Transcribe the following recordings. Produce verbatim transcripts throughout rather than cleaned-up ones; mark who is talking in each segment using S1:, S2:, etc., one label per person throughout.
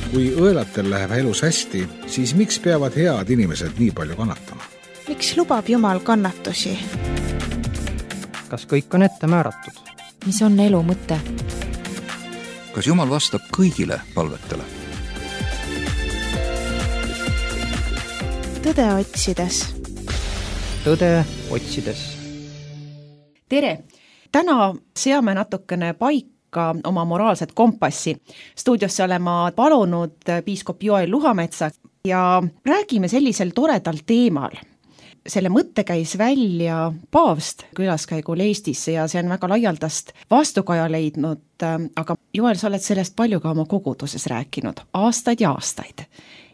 S1: Kui õelatel läheb elus hästi, siis miks peavad head inimesed nii palju kannatama?
S2: Miks lubab Jumal kannatusi?
S3: Kas kõik on ette määratud?
S4: Mis on elu mõte?
S5: Kas Jumal vastab kõigile palvetele?
S2: Tõde otsides.
S3: Tõde otsides.
S6: Tere! Täna seame natukene paika oma moraalset kompassi. Stuudiosse olema palunud piiskop Joel Luhametsa ja räägime sellisel toredal teemal. Selle mõtte käis välja paavst külaskäigul Eestisse ja see on väga laialdast vastukaja leidnud, aga Joel, sa oled sellest palju ka oma koguduses rääkinud, aastaid ja aastaid.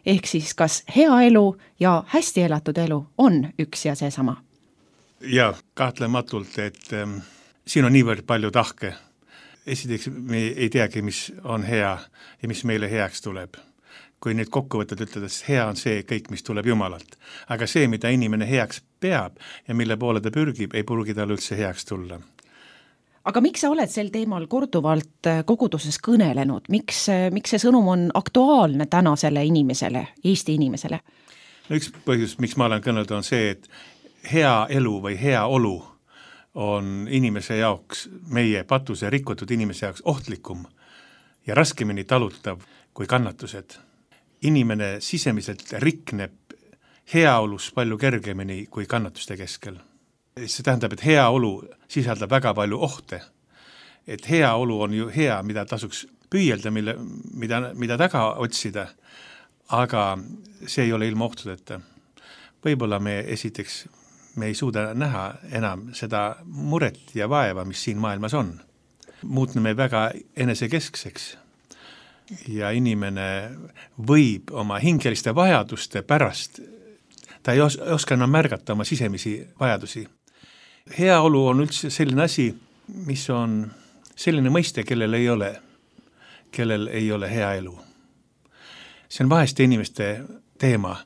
S6: Ehk siis kas hea elu ja hästi elatud elu on üks ja seesama?
S7: Ja kahtlematult, et ähm, siin on niivõrd palju tahke. Esiteks me ei teagi, mis on hea ja mis meile heaks tuleb. Kui nüüd kokkuvõtted ütledes, hea on see kõik, mis tuleb Jumalalt. Aga see, mida inimene heaks peab ja mille poole ta pürgib, ei purgi tal üldse heaks tulla.
S6: Aga miks sa oled sel teemal korduvalt koguduses kõnelenud? Miks, miks see sõnum on aktuaalne tänasele inimesele, Eesti inimesele?
S7: No üks põhjus, miks ma olen kõnelnud, on see, et hea elu või hea olu on inimese jaoks, meie patuse rikutud inimese jaoks ohtlikum ja raskemini talutav kui kannatused. Inimene sisemiselt rikneb heaolus palju kergemini kui kannatuste keskel. See tähendab, et heaolu sisaldab väga palju ohte. Et heaolu on ju hea, mida tasuks püüelda, mille, mida, mida taga otsida, aga see ei ole ilma ohtudeta. Võib-olla me esiteks me ei suuda näha enam seda muret ja vaeva, mis siin maailmas on. Muutneme väga enesekeskseks ja inimene võib oma hingeliste vajaduste pärast, ta ei os- oska enam märgata oma sisemisi vajadusi. Heaolu on üldse selline asi, mis on selline mõiste, kellel ei ole, kellel ei ole hea elu. See on vaheste inimeste teema.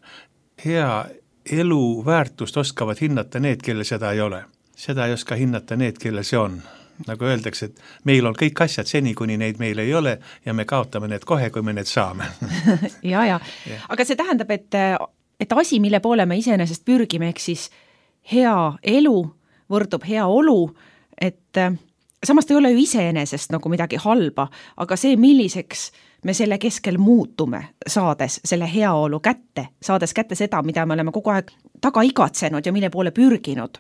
S7: Hea elu väärtust oskavad hinnata need, kellel seda ei ole. Seda ei oska hinnata need, kellel see on. Nagu öeldakse, et meil on kõik asjad seni, kuni neid meil ei ole ja me kaotame need kohe, kui me need saame.
S6: ja, ja. ja. Aga see tähendab, et, et asi, mille poole me iseenesest pürgime, ehk siis hea elu võrdub hea olu, et samas ta ei ole ju iseenesest nagu midagi halba, aga see, milliseks me selle keskel muutume, saades selle heaolu kätte, saades kätte seda, mida me oleme kogu aeg taga igatsenud ja mille poole pürginud,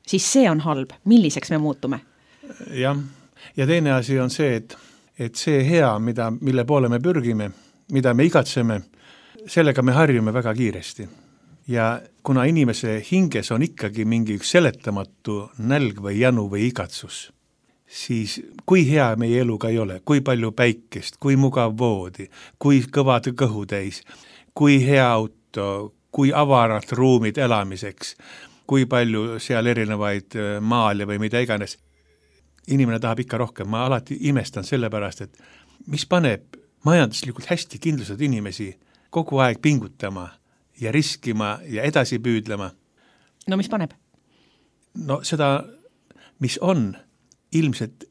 S6: siis see on halb. Milliseks me muutume?
S7: Jah, ja teine asi on see, et, et see hea, mida, mille poole me pürgime, mida me igatseme, sellega me harjume väga kiiresti. Ja kuna inimese hinges on ikkagi mingi üks seletamatu nälg või janu või igatsus, siis kui hea meie eluga ei ole, kui palju päikest, kui mugav voodi, kui kõvad kõhutäis, kui hea auto, kui avarad ruumid elamiseks, kui palju seal erinevaid maale või mida iganes. Inimene tahab ikka rohkem. Ma alati imestan selle pärast, et mis paneb majanduslikult hästi kindlused inimesi kogu aeg pingutama ja riskima ja edasi püüdlema.
S6: No mis paneb?
S7: No seda, mis on, ilmselt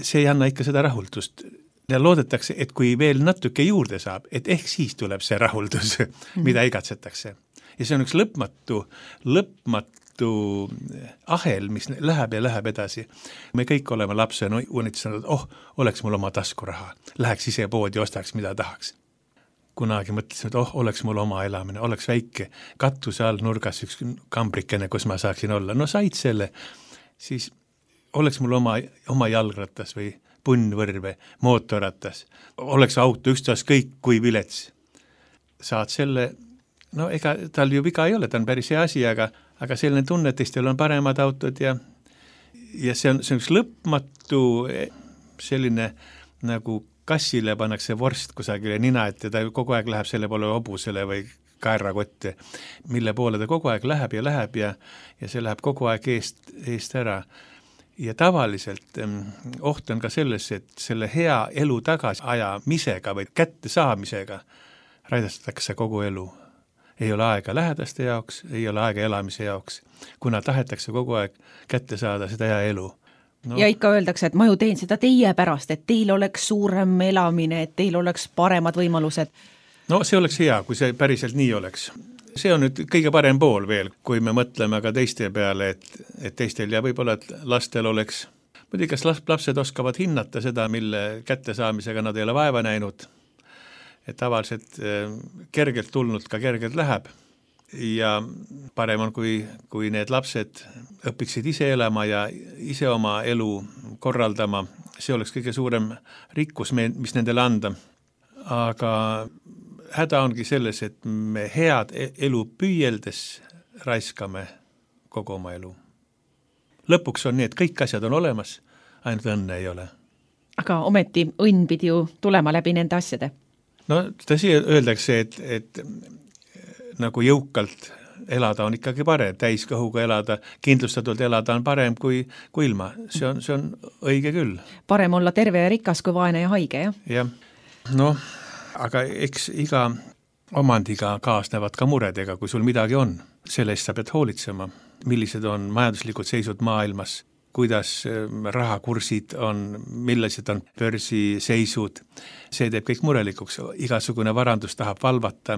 S7: see ei anna ikka seda rahuldust. Ja loodetakse, et kui veel natuke juurde saab, et ehk siis tuleb see rahuldus, mida igatsetakse. Ja see on üks lõpmatu, lõpmatu ahel, mis läheb ja läheb edasi. Me kõik oleme lapse unitsenud, oh, oleks mul oma taskuraha. Läheks ise poodi, ostaks, mida tahaks. Kunagi mõtlesin, et oh, oleks mul oma elamine, oleks väike katuse all nurgas üks kambrikene, kus ma saaksin olla. No said selle, siis oleks mul oma, oma jalgratas või punnvõrve, mootorratas. Oleks auto ükstaas kõik kui vilets. Saad selle, no ega tal ju viga ei ole, ta on päris hea asi, aga aga selline tunne, et teistel on paremad autod ja, ja see on, see on üks lõpmatu selline nagu kassile pannakse vorst kusagile nina, et ta kogu aeg läheb selle poole hobusele või kaerakotte, mille poole ta kogu aeg läheb ja läheb ja, ja see läheb kogu aeg eest, eest ära. Ja tavaliselt oht on ka selles, et selle hea elu tagasi ajamisega või kätte saamisega raidastatakse kogu elu. Ei ole aega lähedaste jaoks, ei ole aega elamise jaoks, kuna tahetakse kogu aeg kätte saada seda hea elu.
S6: no. Ja ikka öeldakse, et ma ju teen seda teie pärast, et teil oleks suurem elamine, et teil oleks paremad võimalused.
S7: No see oleks hea, kui see päriselt nii oleks. See on nüüd kõige parem pool veel, kui me mõtleme ka teiste peale, et, et teistel ja võib-olla, et lastel oleks, muidugi kas lapsed oskavad hinnata seda, mille kättesaamisega nad ei ole vaeva näinud, et tavaliselt kergelt tulnud ka kergelt läheb ja parem on, kui, kui need lapsed õpiksid ise elama ja ise oma elu korraldama, see oleks kõige suurem rikkus, mis nendele anda. Aga häda ongi selles, et me head elu püüeldes raiskame kogu oma elu. Lõpuks on nii, et kõik asjad on olemas, ainult õnne ei ole.
S6: Aga ometi õnn pidi ju tulema läbi nende asjade.
S7: No tõsi öeldakse, et, et nagu jõukalt elada on ikkagi parem, täiskõhuga elada, kindlustatult elada on parem kui, kui ilma. See on, see on õige küll.
S6: Parem olla terve ja rikas kui vaene ja haige, jah?
S7: Jah, noh, aga eks iga omandiga kaasnevad ka muredega, kui sul midagi on. Selle eest sa pead hoolitsema, millised on majanduslikud seisud maailmas, kuidas rahakursid on, millised on börsiseisud. See teeb kõik murelikuks, igasugune varandus tahab valvata,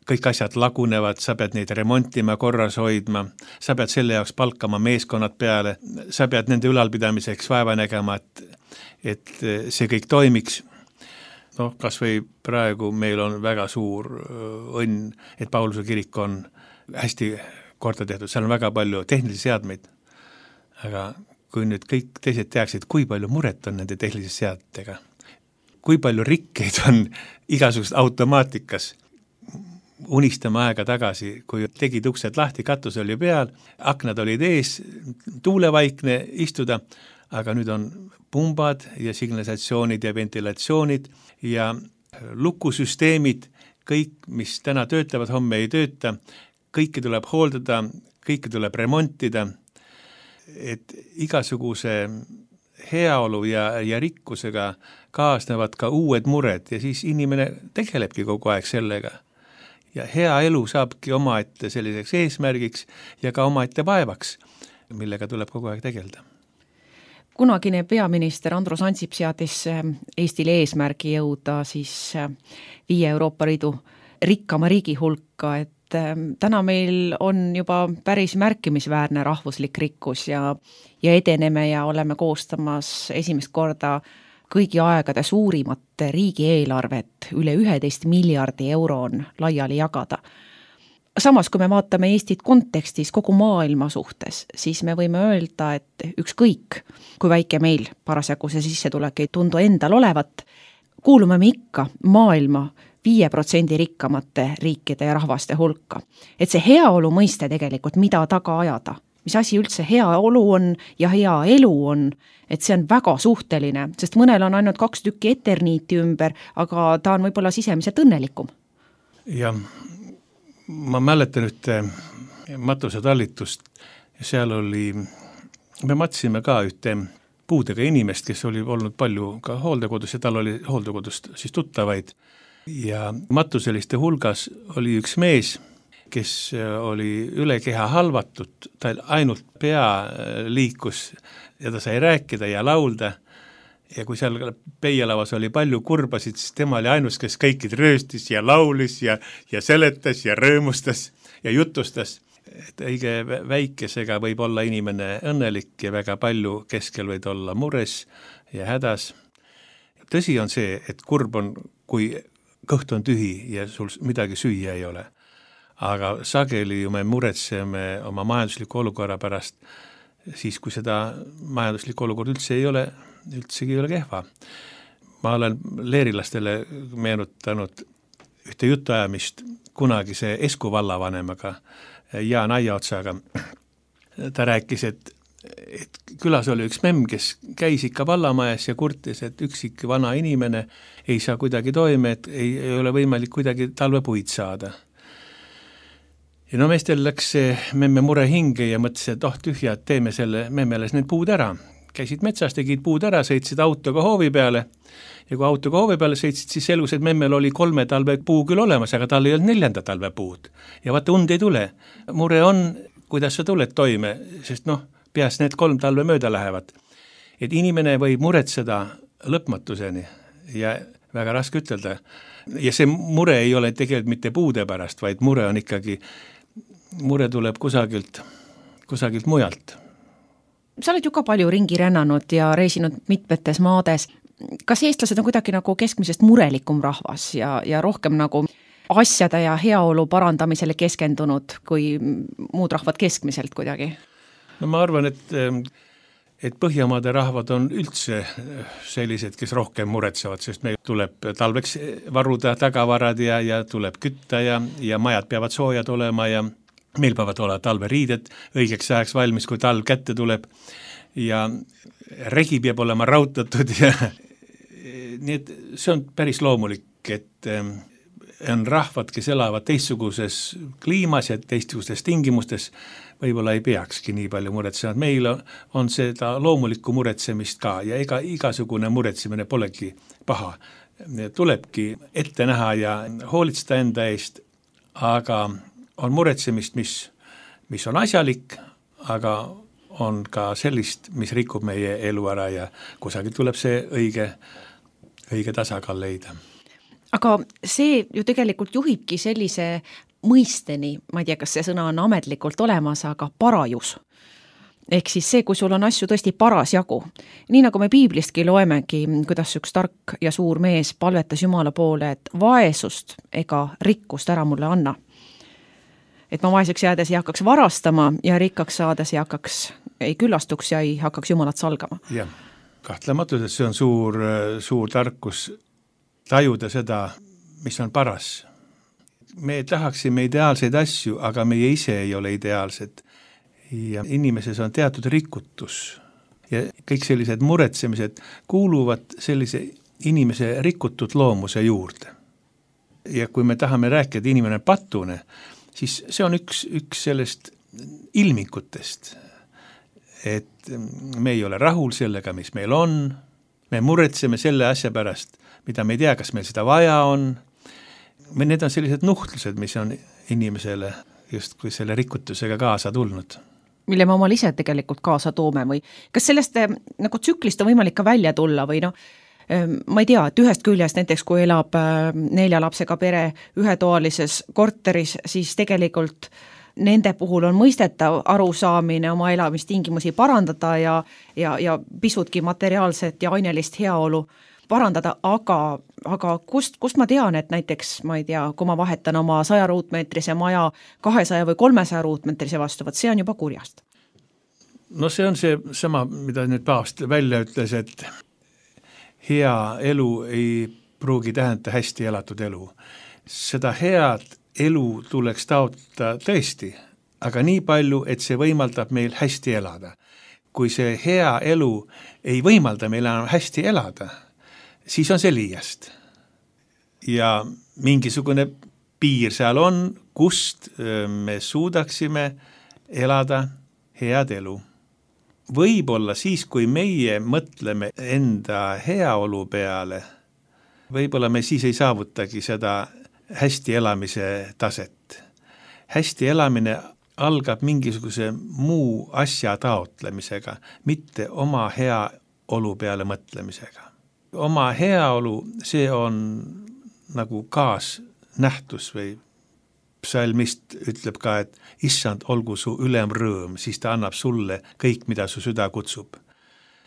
S7: kõik asjad lagunevad, sa pead neid remontima, korras hoidma, sa pead selle jaoks palkama meeskonnad peale, sa pead nende ülalpidamiseks vaeva nägema, et, et see kõik toimiks. Noh, kas või praegu meil on väga suur õnn, et Pauluse kirik on hästi korda tehtud, seal on väga palju tehnilisi seadmeid, aga kui nüüd kõik teised teaksid, kui palju muret on nende tehnilise seadmetega, kui palju rikkeid on igasugust automaatikas, unistama aega tagasi, kui tegid uksed lahti, katus oli peal, aknad olid ees, tuulevaikne istuda, aga nüüd on pumbad ja signalisatsioonid ja ventilatsioonid ja lukusüsteemid, kõik, mis täna töötavad, homme ei tööta, kõike tuleb hooldada, kõike tuleb remontida, et igasuguse heaolu ja, ja rikkusega kaasnevad ka uued mured ja siis inimene tegelebki kogu aeg sellega. Ja hea elu saabki omaette selliseks eesmärgiks ja ka omaette vaevaks, millega tuleb kogu aeg tegelda.
S6: Kunagine peaminister Andrus Ansip seadis Eestile eesmärgi jõuda siis viie Euroopa Liidu rikkama riigi hulka, et täna meil on juba päris märkimisväärne rahvuslik rikkus ja, ja edeneme ja oleme koostamas esimest korda kõigi aegade suurimat riigieelarvet, üle üheteist miljardi euro on laiali jagada. Samas, kui me vaatame Eestit kontekstis kogu maailma suhtes, siis me võime öelda, et ükskõik, kui väike meil parasjagu see sissetulek ei tundu endal olevat, kuulume me ikka maailma viie protsendi rikkamate riikide ja rahvaste hulka. Et see heaolu mõiste tegelikult, mida taga ajada, mis asi üldse hea olu on ja hea elu on, et see on väga suhteline, sest mõnel on ainult kaks tükki eterniiti ümber, aga ta on võib-olla sisemiselt õnnelikum.
S7: Ja ma mäletan ühte matusetallitust ja seal oli, me matsime ka ühte puudega inimest, kes oli olnud palju ka hooldekodus ja tal oli hooldekodust siis tuttavaid ja matuseliste hulgas oli üks mees, kes oli üle keha halvatud, ta ainult pea liikus ja ta sai rääkida ja laulda ja kui seal peielavas oli palju kurbasid, siis tema oli ainus, kes kõikid rööstis ja laulis ja, ja seletas ja rõõmustas ja jutustas. Et õige väikesega võib olla inimene õnnelik ja väga palju keskel võid olla mures ja hädas. Tõsi on see, et kurb on, kui kõht on tühi ja sul midagi süüa ei ole. Aga sageli ju me muretseme oma majandusliku olukorra pärast, siis kui seda majanduslikku olukord üldse ei ole, üldsegi ei ole kehva. Ma olen leerilastele meenutanud ühte jutuajamist kunagise Esku vallavanemaga, Jaan Aiaotsaga. Ta rääkis, et, et külas oli üks memm, kes käis ikka vallamajas ja kurtis, et üksik vana inimene ei saa kuidagi toime, et ei, ei ole võimalik kuidagi talvepuid saada. Ja no meestel läks see memme mure hinge ja mõtles, et oh tühja, et teeme selle memmeles need puud ära. Käisid metsas, tegid puud ära, sõitsid autoga hoovi peale ja kui autoga hoovi peale sõitsid, siis selgus, et memmel oli kolme talve puu küll olemas, aga tal ei olnud neljanda talve puud. Ja vaata, und ei tule. Mure on, kuidas sa tuled toime, sest noh, peast need kolm talve mööda lähevad. et inimene võib muretseda lõpmatuseni ja väga raske ütelda. Ja see mure ei ole tegelikult mitte puude pärast, vaid mure on ikkagi, mure tuleb kusagilt, kusagilt mujalt.
S6: Sa oled ju ka palju ringi rännanud ja reisinud mitmetes maades. Kas eestlased on kuidagi nagu keskmisest murelikum rahvas ja, ja rohkem nagu asjade ja heaolu parandamisele keskendunud kui muud rahvad keskmiselt kuidagi?
S7: No ma arvan, et, et Põhjamaade rahvad on üldse sellised, kes rohkem muretsevad, sest meil tuleb talveks varuda tagavarad ja, ja tuleb kütta ja, ja majad peavad soojad olema ja meil peavad olema talveriided õigeks ajaks valmis, kui talv kätte tuleb ja regi peab olema rautatud ja nii et see on päris loomulik, et on rahvad, kes elavad teistsuguses kliimas ja teistsuguses tingimustes, võib-olla ei peakski nii palju muretsema. Meil on seda loomulikku muretsemist ka ja ega igasugune muretsemine polegi paha. Tulebki ette näha ja hoolitseda enda eest, aga on muretsemist, mis, mis on asjalik, aga on ka sellist, mis rikub meie elu ära ja kusagil tuleb see õige, õige tasakaal leida.
S6: Aga see ju tegelikult juhibki sellise mõisteni, ma ei tea, kas see sõna on ametlikult olemas, aga parajus. Ehk siis see, kui sul on asju tõesti paras jagu. Nii nagu me piiblistki loemegi, kuidas üks tark ja suur mees palvetas Jumala poole, et vaesust ega rikkust ära mulle anna. Et ma vaeseks jäädes ei hakkaks varastama ja rikkaks saades ei hakkaks, ei küllastuks ja ei hakkaks Jumalat salgama.
S7: Jah, kahtlematult, et see on suur, suur tarkus tajuda seda, mis on paras. Me tahaksime ideaalseid asju, aga meie ise ei ole ideaalsed. Ja inimeses on teatud rikutus ja kõik sellised muretsemised kuuluvad sellise inimese rikutud loomuse juurde. Ja kui me tahame rääkida, et inimene on patune, siis see on üks, üks sellest ilmikutest, et me ei ole rahul sellega, mis meil on, me muretseme selle asja pärast, mida me ei tea, kas meil seda vaja on. Need on sellised nuhtlused, mis on inimesele just kui selle rikutusega kaasa tulnud.
S6: Mille me omal ise tegelikult kaasa toome või kas sellest nagu tsüklist on võimalik ka välja tulla või noh, ma ei tea, et ühest küljest näiteks kui elab nelja lapsega pere ühetoalises korteris, siis tegelikult nende puhul on mõistetav arusaamine oma elamistingimusi parandada ja, ja, ja pisutki materiaalset ja ainelist heaolu parandada, aga, aga kust, kust ma tean, et näiteks, ma ei tea, kui ma vahetan oma saja ruutmeetrise maja kahesaja või kolmesaja ruutmeetrise vastu, võt see on juba kurjast.
S7: No see on see sama, mida nüüd paavst välja ütles, et hea elu ei pruugi tähendada hästi elatud elu. Seda head elu tuleks taotleda tõesti, aga nii palju, et see võimaldab meil hästi elada. Kui see hea elu ei võimalda meil enam hästi elada, siis on see liiast. Ja mingisugune piir seal on, kust me suudaksime elada head elu. Võib-olla siis, kui meie mõtleme enda heaolu peale, võib-olla me siis ei saavutagi seda hästi elamise taset. Hästi elamine algab mingisuguse muu asja taotlemisega, mitte oma heaolu peale mõtlemisega. Oma heaolu, see on nagu kaasnähtus või psalmist ütleb ka, et issand, olgu su ülem rõõm, siis ta annab sulle kõik, mida su süda kutsub.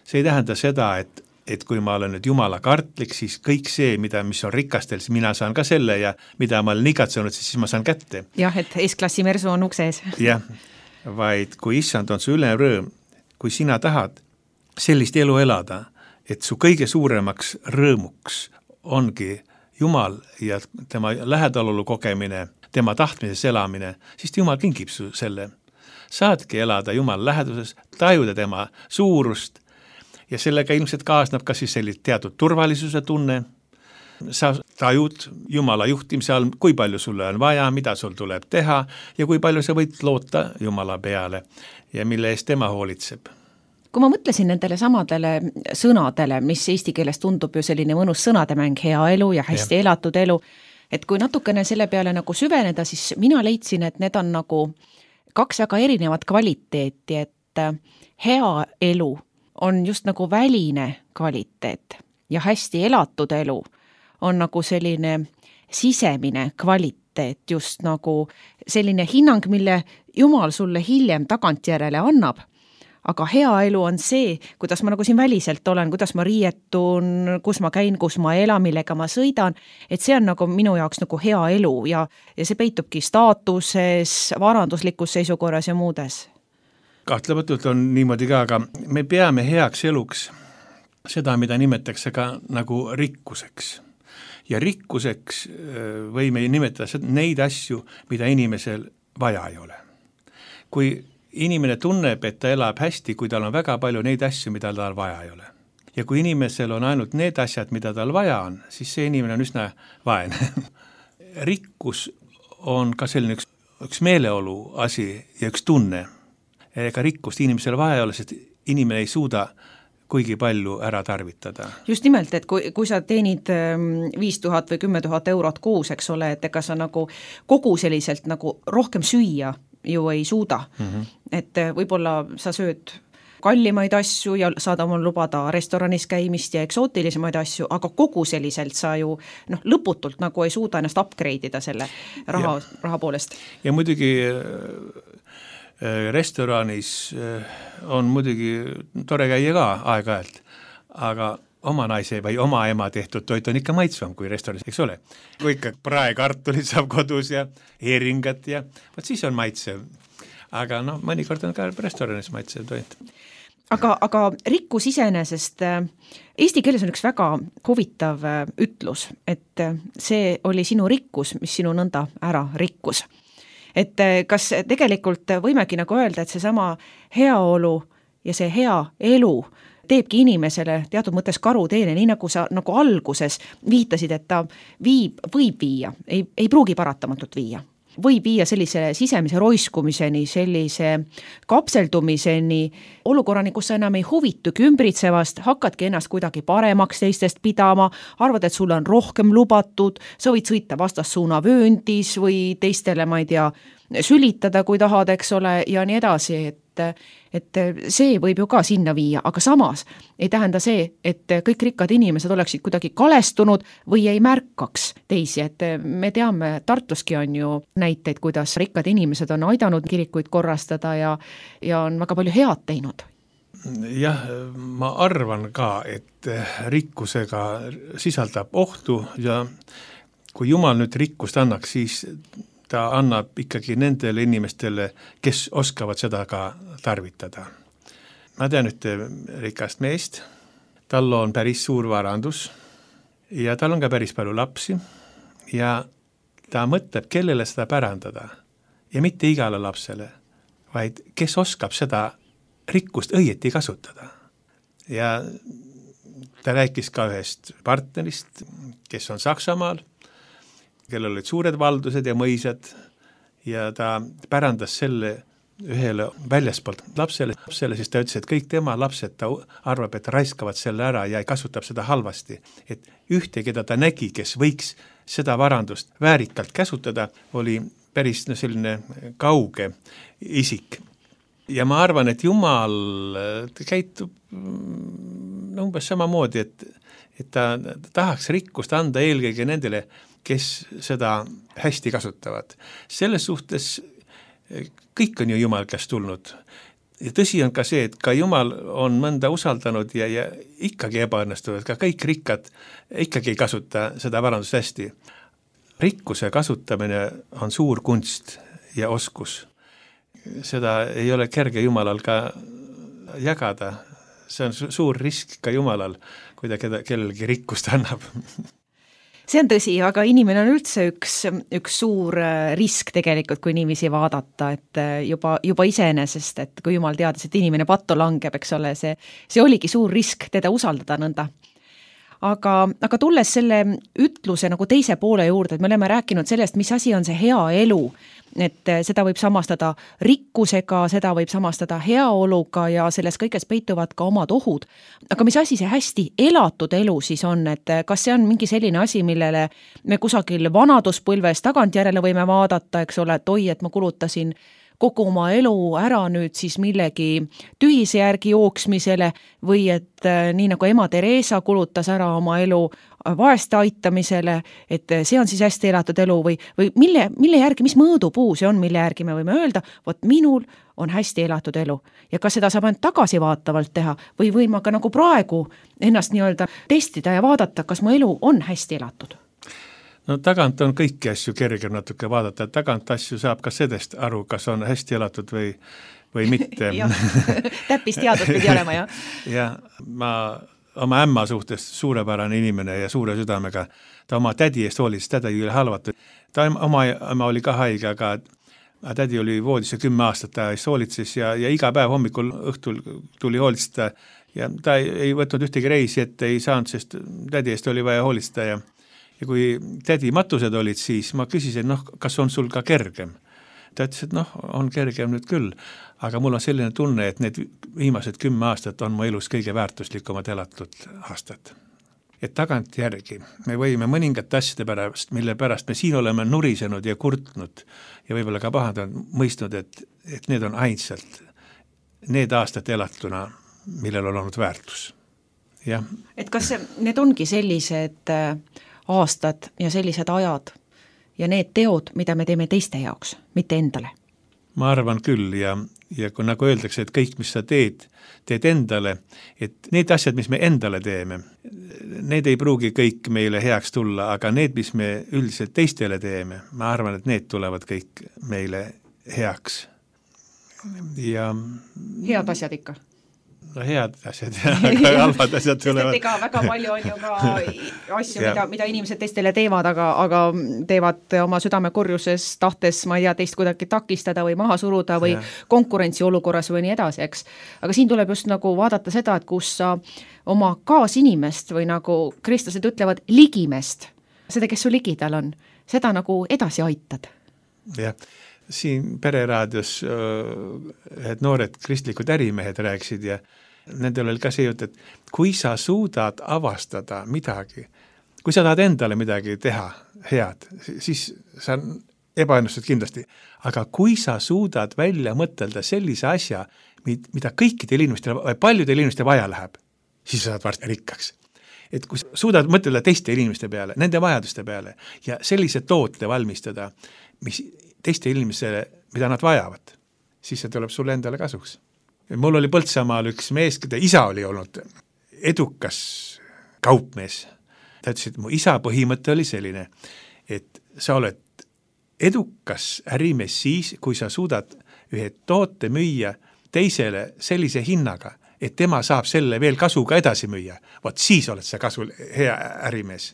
S7: See ei tähenda seda, et, et kui ma olen nüüd Jumala kartlik, siis kõik see, mida, mis on rikastel, siis mina saan ka selle ja mida ma olen igatsenud, siis ma saan kätte.
S6: Jah, et S-klassi mersu on uksees.
S7: Jah, vaid kui issand on su ülem rõõm, kui sina tahad sellist elu elada, et su kõige suuremaks rõõmuks ongi Jumal ja tema lähedalolu kogemine, tema tahtmises elamine, siis Jumal kingib su selle. Saadki elada Jumal läheduses, tajuda tema suurust ja sellega ilmselt kaasnab ka siis selline teatud turvalisuse tunne. Sa tajud Jumala juhtimise all, kui palju sulle on vaja, mida sul tuleb teha ja kui palju sa võid loota Jumala peale ja mille eest tema hoolitseb.
S6: Kui ma mõtlesin nendele samadele sõnadele, mis eesti keeles tundub ju selline mõnus sõnademäng, hea elu ja hästi ja. elatud elu, et kui natukene selle peale nagu süveneda, siis mina leidsin, et need on nagu kaks väga erinevat kvaliteeti, et hea elu on just nagu väline kvaliteet ja hästi elatud elu on nagu selline sisemine kvaliteet, just nagu selline hinnang, mille Jumal sulle hiljem tagantjärele annab. Aga hea elu on see, kuidas ma nagu siin väliselt olen, kuidas ma riietun, kus ma käin, kus ma elan, millega ma sõidan, et see on nagu minu jaoks nagu hea elu ja, ja see peitubki staatuses, varanduslikus seisukorras ja muudes.
S7: Kahtlematult on niimoodi ka, aga me peame heaks eluks seda, mida nimetatakse ka nagu rikkuseks. Ja rikkuseks võime nimetada neid asju, mida inimesel vaja ei ole. Kui inimene tunneb, et ta elab hästi, kui tal on väga palju neid asju, mida tal vaja ei ole. Ja kui inimesel on ainult need asjad, mida tal vaja on, siis see inimene on üsna vaene. Rikkus on ka selline üks, üks meeleolu asi ja üks tunne. Ega rikkust inimesel vaja ei ole, sest inimene ei suuda kuigi palju ära tarvitada.
S6: Just nimelt, et kui, kui sa teenid viis tuhat või kümme tuhat eurot kuus, eks ole, et ega sa nagu kogu selliselt nagu rohkem süüa ju ei suuda. Mm-hmm. Et võib-olla sa sööd kallimaid asju ja saad omal lubada restoranis käimist ja eksootilisemaid asju, aga kogu selliselt sa ju noh, lõputult nagu ei suuda ennast upgrade'ida selle raha, raha poolest.
S7: Ja muidugi restoranis on muidugi tore käia ka aeg-ajalt, aga oma naise või oma ema tehtud toit on ikka maitsvam kui restoranis, eks ole. Kui ikka praekartulit saab kodus ja heeringat ja võt siis on maitsev. Aga noh, mõnikord on ka restoranis maitsev toit.
S6: Aga, aga rikkus iseenesest, eesti keeles on üks väga huvitav ütlus, et see oli sinu rikkus, mis sinu nõnda ära rikkus. Et kas tegelikult võimegi nagu öelda, et see sama heaolu ja see hea elu teebki inimesele teatud mõttes karuteene, nii nagu sa nagu alguses viitasid, et ta viib, võib viia, ei, ei pruugi paratamatult viia. Võib viia sellise sisemise roiskumiseni, sellise kapseldumiseni, olukorrani, kus sa enam ei huvitugi ümbritsevast, hakkadki ennast kuidagi paremaks teistest pidama, arvad, et sulle on rohkem lubatud, sa võid sõita vastassuuna vööndis või teistele, ma ei tea, sülitada, kui tahad, eks ole, ja nii edasi, et et see võib ju ka sinna viia, aga samas ei tähenda see, et kõik rikkad inimesed oleksid kuidagi kalestunud või ei märkaks teisi, et me teame, Tartuski on ju näiteid, kuidas rikkad inimesed on aidanud kirikuid korrastada ja, ja on väga palju head teinud.
S7: Jah, ma arvan ka, et rikkusega sisaldab ohtu ja kui Jumal nüüd rikkust annaks, siis ta annab ikkagi nendele inimestele, kes oskavad seda ka tarvitada. Ma tean ühte rikast meest, tal on päris suur varandus ja tal on ka päris palju lapsi ja ta mõtleb, kellele seda pärandada ja mitte igale lapsele, vaid kes oskab seda rikkust õieti kasutada. Ja ta rääkis ka ühest partnerist, kes on Saksamaal, kellel olid suured valdused ja mõisad ja ta pärandas selle ühele väljaspoolt lapsele, lapsele, siis ta ütles, et kõik tema lapsed, ta arvab, et raiskavad selle ära ja kasutab seda halvasti. Et ühte, keda ta nägi, kes võiks seda varandust väärikalt käsutada, oli päris no, selline kauge isik. Ja ma arvan, et Jumal käitub no, umbes samamoodi, et, et ta tahaks rikkust anda eelkõige nendele, kes seda hästi kasutavad. Selles suhtes kõik on ju Jumal käest tulnud. Ja tõsi on ka see, et ka Jumal on mõnda usaldanud ja, ja ikkagi ebaõnnestunud, ka kõik rikkad ikkagi ei kasuta seda varandust hästi. Rikkuse kasutamine on suur kunst ja oskus. Seda ei ole kerge Jumalal ka jagada. See on suur risk ka Jumalal, kui ta kellelgi rikkust annab.
S6: See on tõsi, aga inimene on üldse üks, üks suur risk tegelikult, kui niiviisi vaadata, et juba, juba iseenesest, et kui Jumal teadis, et inimene patto langeb, eks ole, see, see oligi suur risk teda usaldada nõnda. Aga, aga tulles selle ütluse nagu teise poole juurde, et me oleme rääkinud sellest, mis asi on see hea elu, et seda võib samastada rikkusega, seda võib samastada heaoluga ja selles kõiges peituvad ka omad ohud. Aga mis asi see hästi elatud elu siis on, et kas see on mingi selline asi, millele me kusagil vanaduspõlves tagantjärele võime vaadata, eks ole, et oi, et ma kulutasin kogu oma elu ära nüüd siis millegi tühise järgi jooksmisele või et nii nagu ema Theresa kulutas ära oma elu vaeste aitamisele, et see on siis hästi elatud elu või, või mille, mille järgi, mis mõõdupuu see on, mille järgi me võime öelda, vot minul on hästi elatud elu ja kas seda saab ainult tagasivaatavalt teha või võin ma ka nagu praegu ennast nii-öelda testida ja vaadata, kas mu elu on hästi elatud?
S7: No tagant on kõiki asju kergem natuke vaadata, tagant asju saab ka sellest aru, kas on hästi elatud või, või mitte.
S6: Täppis teadus pidi olema, jah?
S7: Ja ma oma ämma suhtes suurepärane inimene ja suure südamega, ta oma tädi eest hoolis, tädi oli halvatud. Ta oma ema oli ka haige, aga tädi oli voodis ja kümme aastat ta eest hoolitses ja, ja iga päev hommikul õhtul tuli hoolitseda ja ta ei, ei võtnud ühtegi reisi, et ei saanud, sest tädi eest oli vaja hoolitseda ja, ja kui tädi matused olid, siis ma küsisin, noh, kas on sul ka kergem? Ta ütles, et noh, on kergem nüüd küll, aga mul on selline tunne, et need viimased kümme aastat on mu elus kõige väärtuslikumad elatud aastad. Et tagant järgi me võime mõningate asjade pärast, mille pärast me siin oleme nurisenud ja kurtnud ja võib-olla ka pahandanud mõistnud, et, et need on ainsalt need aastad elatuna, millel on olnud väärtus. Ja.
S6: Et kas need ongi sellised aastad ja sellised ajad ja need teod, mida me teeme teiste jaoks, mitte endale?
S7: Ma arvan küll ja, ja kui nagu öeldakse, et kõik, mis sa teed, teed endale, et need asjad, mis me endale teeme, need ei pruugi kõik meile heaks tulla, aga need, mis me üldiselt teistele teeme, ma arvan, et need tulevad kõik meile heaks. Ja
S6: head asjad ikka?
S7: No head asjad ja aga halvad asjad tulevad.
S6: Ega väga palju on ju ka asju, mida, mida inimesed teistele teevad, aga, aga teevad oma südame kurjuses tahtes, ma ei tea, teist kuidagi takistada või maha suruda või ja. Konkurentsi olukorras või nii edasi, eks. Aga siin tuleb just nagu vaadata seda, et kus sa oma kaasinimest või nagu kristlased ütlevad ligimest, seda, kes su ligidal on, seda nagu edasi aitad.
S7: Jah. Siin Pereraadios et noored kristlikud ärimehed rääkisid ja nendel oli ka see jutt, et kui sa suudad avastada midagi, kui sa tahad endale midagi teha head, siis sa ebaennustud kindlasti, aga kui sa suudad välja mõtelda sellise asja, mida kõikidel inimestel või paljudel inimestel vaja läheb, siis sa saad varsti rikkaks. Et kui suudad mõtelda teiste inimeste peale, nende vajaduste peale ja sellise toote valmistada, mis teiste inimesele, mida nad vajavad, siis see tuleb sulle endale kasuks. Mul oli Põltsamaal üks mees, keda isa oli olnud edukas kaupmees. Ta ütles, et mu isa põhimõte oli selline, et sa oled edukas ärimees siis, kui sa suudad ühe toote müüa teisele sellise hinnaga, et tema saab selle veel kasuga edasi müüa. Vot siis oled sa kasu hea ärimees.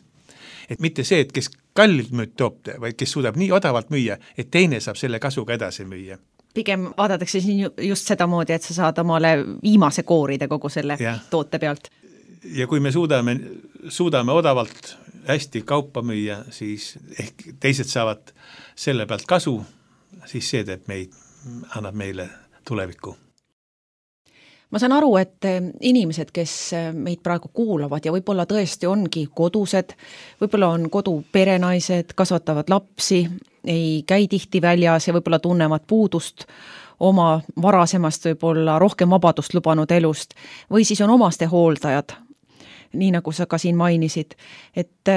S7: Et mitte see, et kes kallilt müüd toopte, vaid kes suudab nii odavalt müüa, et teine saab selle kasuga edasi müüa.
S6: Pigem vaadatakse siin just seda moodi, et sa saad omale viimase kooride kogu selle ja. Toote pealt.
S7: Ja kui me suudame, suudame odavalt hästi kaupa müüa, siis ehk teised saavad selle pealt kasu, siis see teeb meid, annab meile tulevikku.
S6: Ma saan aru, et inimesed, kes meid praegu kuulavad ja võib-olla tõesti ongi kodused, võib-olla on kodu perenaised, kasvatavad lapsi, ei käi tihti väljas ja võib-olla tunnevad puudust oma varasemast võib-olla rohkem vabadust lubanud elust või siis on omaste hooldajad, nii nagu sa ka siin mainisid, et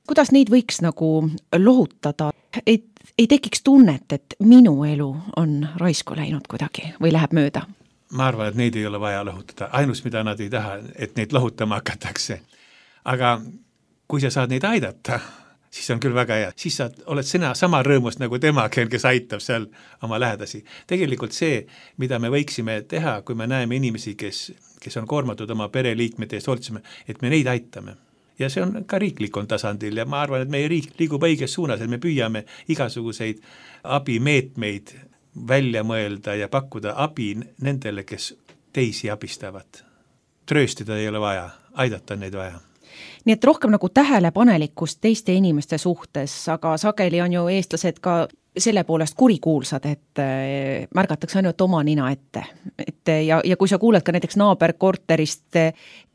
S6: kuidas neid võiks nagu lohutada, et ei tekiks tunnet, et minu elu on raisku läinud kuidagi või läheb mööda?
S7: Ma arvan, et neid ei ole vaja lohutada. Ainus, mida nad ei taha, et neid lohutama hakatakse. Aga kui sa saad neid aidata, siis on küll väga hea. Siis sa oled sina sama rõõmust nagu tema, kes aitab seal oma lähedasi. Tegelikult see, mida me võiksime teha, kui me näeme inimesi, kes, kes on koormatud oma pereliikmete eest hoolitsema, et me neid aitame. Ja see on ka riiklikul tasandil ja ma arvan, et meie riik liigub õiges suunas, et me püüame igasuguseid abimeetmeid välja mõelda ja pakkuda abi nendele, kes teisi abistavad. Trööstida ei ole vaja, aidata neid vaja.
S6: Nii et rohkem nagu tähelepanelikkust teiste inimeste suhtes, aga sageli on ju eestlased ka selle poolest kurikuulsad, et märgatakse ainult oma nina ette. Et ja, ja kui sa kuuled ka näiteks naaberkorterist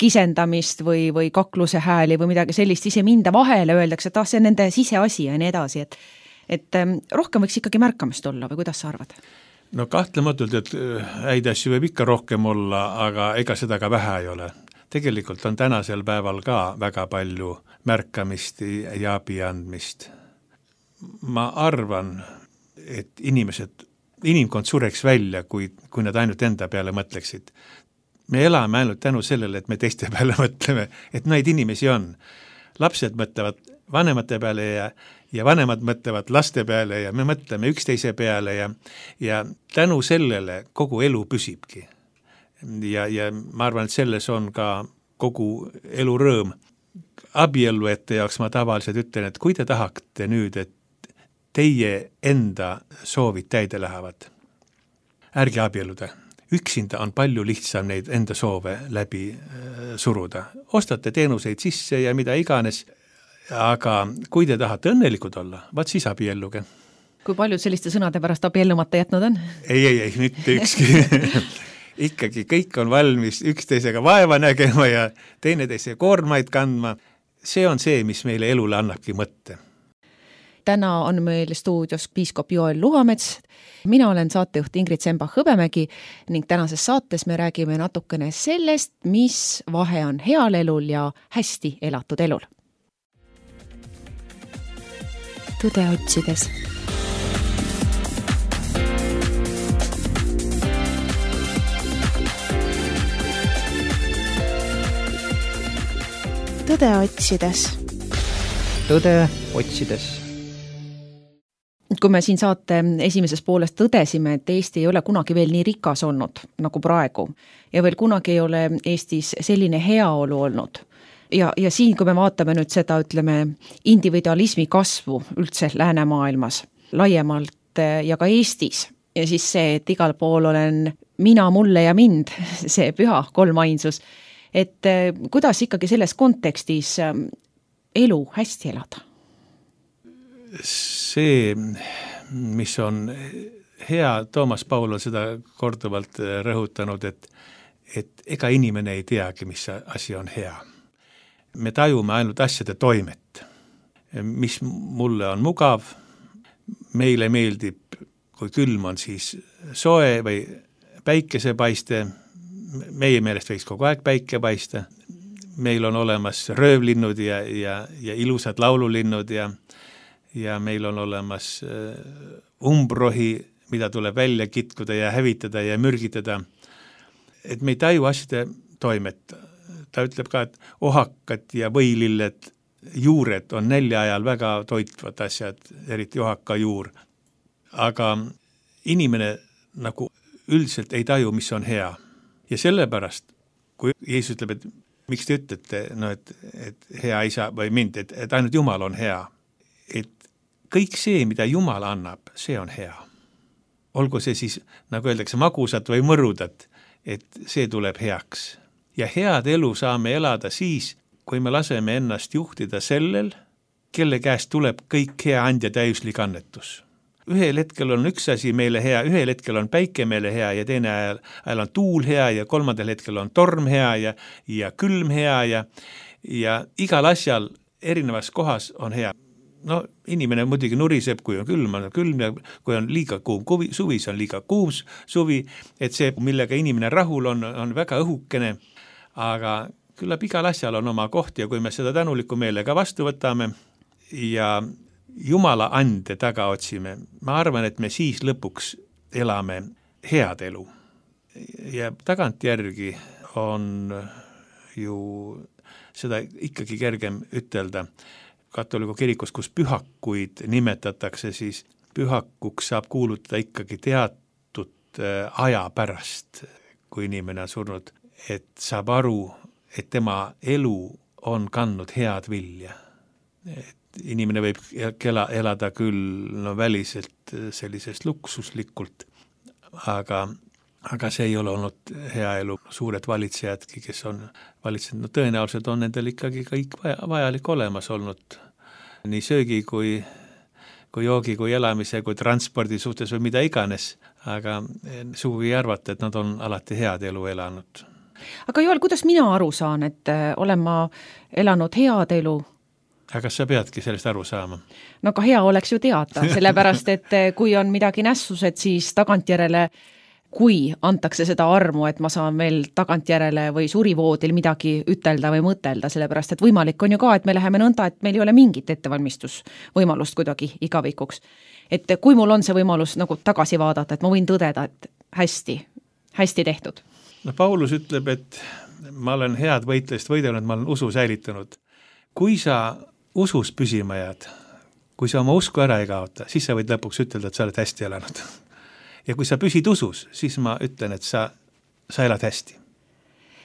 S6: kisendamist või, või kakluse hääli või midagi sellist, ise minda vahele öeldakse, et ah, see on nende siseasi ja nii edasi, et et rohkem võiks ikkagi märkamist olla või kuidas sa arvad?
S7: no kahtlematult, et häid asju võib ikka rohkem olla, aga ega seda ka vähe ei ole. Tegelikult on tänasel päeval ka väga palju märkamist ja abi andmist. Ma arvan, et inimesed, inimkond sureks välja, kui, kui nad ainult enda peale mõtleksid. Me elame ainult tänu sellele, et me teiste peale mõtleme, et neid inimesi on. Lapsed mõtlevad vanemate peale ja, ja vanemad mõtlevad laste peale ja me mõtleme üksteise peale ja, ja tänu sellele kogu elu püsibki. Ja, ja ma arvan, et selles on ka kogu elu rõõm. Abielluete jaoks ma tavaliselt ütlen, et kui te tahate nüüd, et teie enda soovid täide lähevad, ärge abielluda. Üksinda on palju lihtsam neid enda soove läbi suruda. Ostate teenuseid sisse ja mida iganes, aga kui te tahate õnnelikud olla, vaat siis abielluge.
S6: Kui paljud selliste sõnade pärast abiellumata jätnud on?
S7: Ei, ei, ei, mitte ükski. Ikkagi kõik on valmis üksteisega vaeva nägema ja teineteise koormaid kandma. See on see, mis meile elule annabki mõtte.
S6: Täna on meil stuudios piiskop Joel Luhamets. Mina olen saatejuht Ingrid Sembach-Hõbemägi ning tänases saates me räägime natukene sellest, mis vahe on heal elul ja hästi elatud elul.
S2: Tõde otsides. Tõde otsides.
S3: Tõde otsides.
S6: Kui me siin saate esimeses poolest tõdesime, et Eesti ei ole kunagi veel nii rikas olnud nagu praegu ja veel kunagi ei ole Eestis selline heaolu olnud. Ja, ja siin, kui me vaatame nüüd seda, ütleme, individualismi kasvu üldse läänemaailmas, laiemalt ja ka Eestis, ja siis see, et igal pool olen mina, mulle ja mind, see püha kolmainsus, et kuidas ikkagi selles kontekstis elu hästi elada?
S7: See, mis on hea, Toomas Paul on seda korduvalt rõhutanud, et, et ega inimene ei teagi, mis asi on hea. Me tajume ainult asjade toimet, mis mulle on mugav, meile meeldib, kui külm on siis soe või päikesepaiste, meie meelest võiks kogu aeg päike paista, meil on olemas röövlinnud ja, ja, ja ilusad laululinnud ja ja meil on olemas umbrohi, mida tuleb välja kitkuda ja hävitada ja mürgitada. Et me ei taju asjade toimet. Ta ütleb ka, et ohakad ja võililled juured on nälja ajal väga toitvad asjad, eriti ohaka juur. Aga inimene nagu üldiselt ei taju, mis on hea. Ja sellepärast, kui Jeesus ütleb, et miks te ütlete, no, et, et hea isa või mind, et, et ainult Jumal on hea, et kõik see, mida Jumal annab, see on hea. Olgu see siis, nagu öeldakse, magusat või mõrudat, et see tuleb heaks. Ja head elu saame elada siis, kui me laseme ennast juhtida sellel, kelle käest tuleb kõik hea andja täiuslik annetus. Ühel hetkel on üks asi meile hea, ühel hetkel on päike meile hea ja teine ajal, ajal on tuul hea ja kolmandal hetkel on torm hea ja, ja külm hea ja, ja igal asjal erinevas kohas on hea. No inimene muidugi nuriseb, kui on külm, on külm ja kui on liiga kuum kuvi, suvi, see on liiga kuum suvi, et see, millega inimene rahul on, on väga õhukene, aga küllap igal asjal on oma koht ja kui me seda tänuliku meelega vastu võtame ja Jumala ande taga otsime, ma arvan, et me siis lõpuks elame head elu. Ja tagantjärgi on ju seda ikkagi kergem ütelda. Katoliku kirikus, kus pühakuid nimetatakse, siis pühakuks saab kuulutada ikkagi teatud aja pärast, kui inimene on surnud, et saab aru, et tema elu on kandnud head vilja. Et inimene võib kela, elada küll no, väliselt sellisest luksuslikult, aga, aga see ei ole olnud hea elu. Suured valitsejadki, kes on valitsenud, no tõenäoliselt on nendel ikkagi kõik vaja, vajalik olemas olnud. Nii söögi kui, kui joogi, kui elamise, kui transpordi suhtes või mida iganes, aga sugugi ei arvata, et nad on alati head elu elanud.
S6: Aga Joel, kuidas mina aru saan, et olen ma elanud head elu
S7: aga kas sa peadki sellest aru saama?
S6: No ka hea oleks ju teada, sellepärast et kui on midagi nässused, siis tagantjärele, kui antakse seda armu, et ma saan veel tagantjärele või surivoodil midagi ütelda või mõtelda, sellepärast et võimalik on ju ka, et me läheme nõnda, et meil ei ole mingit ettevalmistusvõimalust kuidagi igavikuks. Et kui mul on see võimalus nagu tagasi vaadata, et ma võin tõdeda, et hästi, hästi tehtud.
S7: No Paulus ütleb, et ma olen head võitlejast võidelnud, ma olen usu säilitanud. Kui sa usus püsima jääd, kui sa oma usku ära ei kaota, siis sa võid lõpuks ütelda, et sa oled hästi elanud. Ja kui sa püsid usus, siis ma ütlen, et sa, sa elad hästi.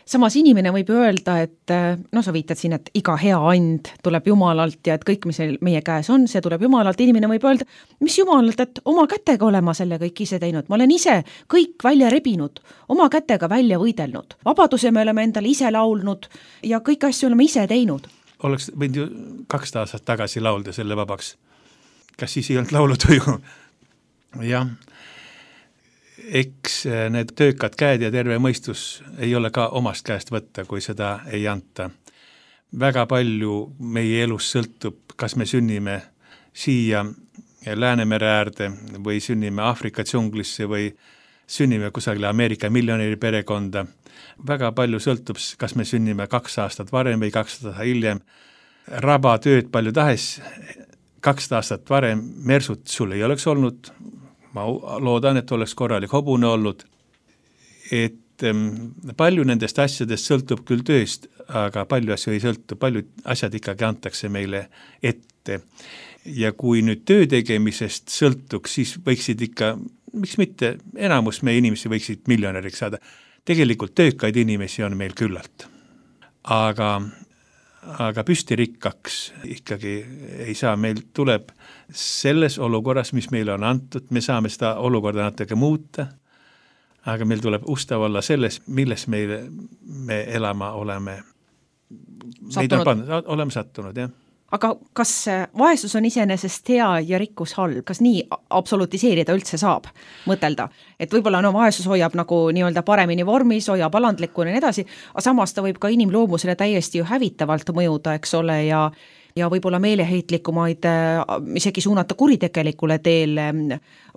S6: Samas inimene võib öelda, et no sa viitad siin, et iga hea and tuleb Jumalalt ja et kõik, mis meie käes on, see tuleb Jumalalt. Inimene võib öelda, mis Jumalalt, et oma kätega olema selle kõik ise teinud. Ma olen ise kõik välja rebinud, oma kätega välja võidelnud. Vabaduse me oleme endale ise laulnud ja kõik asju oleme ise teinud.
S7: Oleks võinud ju kaks aastat tagasi laulda selle vabaks. Kas siis ei olnud laulutuju? Jah. Eks need töökad käed ja terve mõistus ei ole ka omast käest võtta, kui seda ei anta. Väga palju meie elus sõltub, kas me sünnime siia Läänemere äärde või sünnime Aafrika džunglisse või sünnime kusagile Ameerika miljonäri perekonda. Väga palju sõltub, kas me sünnime kaks aastat varem või kaks aastat hiljem. Raba tööd palju tahes, kaks aastat varem mersut sul ei oleks olnud. Ma loodan, et oleks korralik hobune olnud, et palju nendest asjadest sõltub küll tööst, aga palju asju ei sõltu, palju asjad ikkagi antakse meile ette. Ja kui nüüd töö tegemisest sõltuks, siis võiksid ikka, miks mitte, enamus meie inimesi võiksid miljonäriks saada. Tegelikult töökaid inimesi on meil küllalt. Aga aga püstirikkaks ikkagi ei saa, meil tuleb selles olukorras, mis meile on antud, me saame seda olukorda natuke muuta, aga meil tuleb ustav olla selles, milles meile, me elama oleme
S6: sattunud.
S7: On, oleme sattunud, jah.
S6: Aga kas vaesus on iseenesest hea ja rikkus halb? Kas nii absolutiseerida üldse saab mõtelda? Et võib-olla no vaesus hoiab nagu nii-öelda paremini vormis, hoiab alandlikuna ja nii edasi, aga samas ta võib ka inimloomusele täiesti ju hävitavalt mõjuda, eks ole, ja, ja võib-olla meeleheitlikumaid isegi suunata kuritegelikule teele,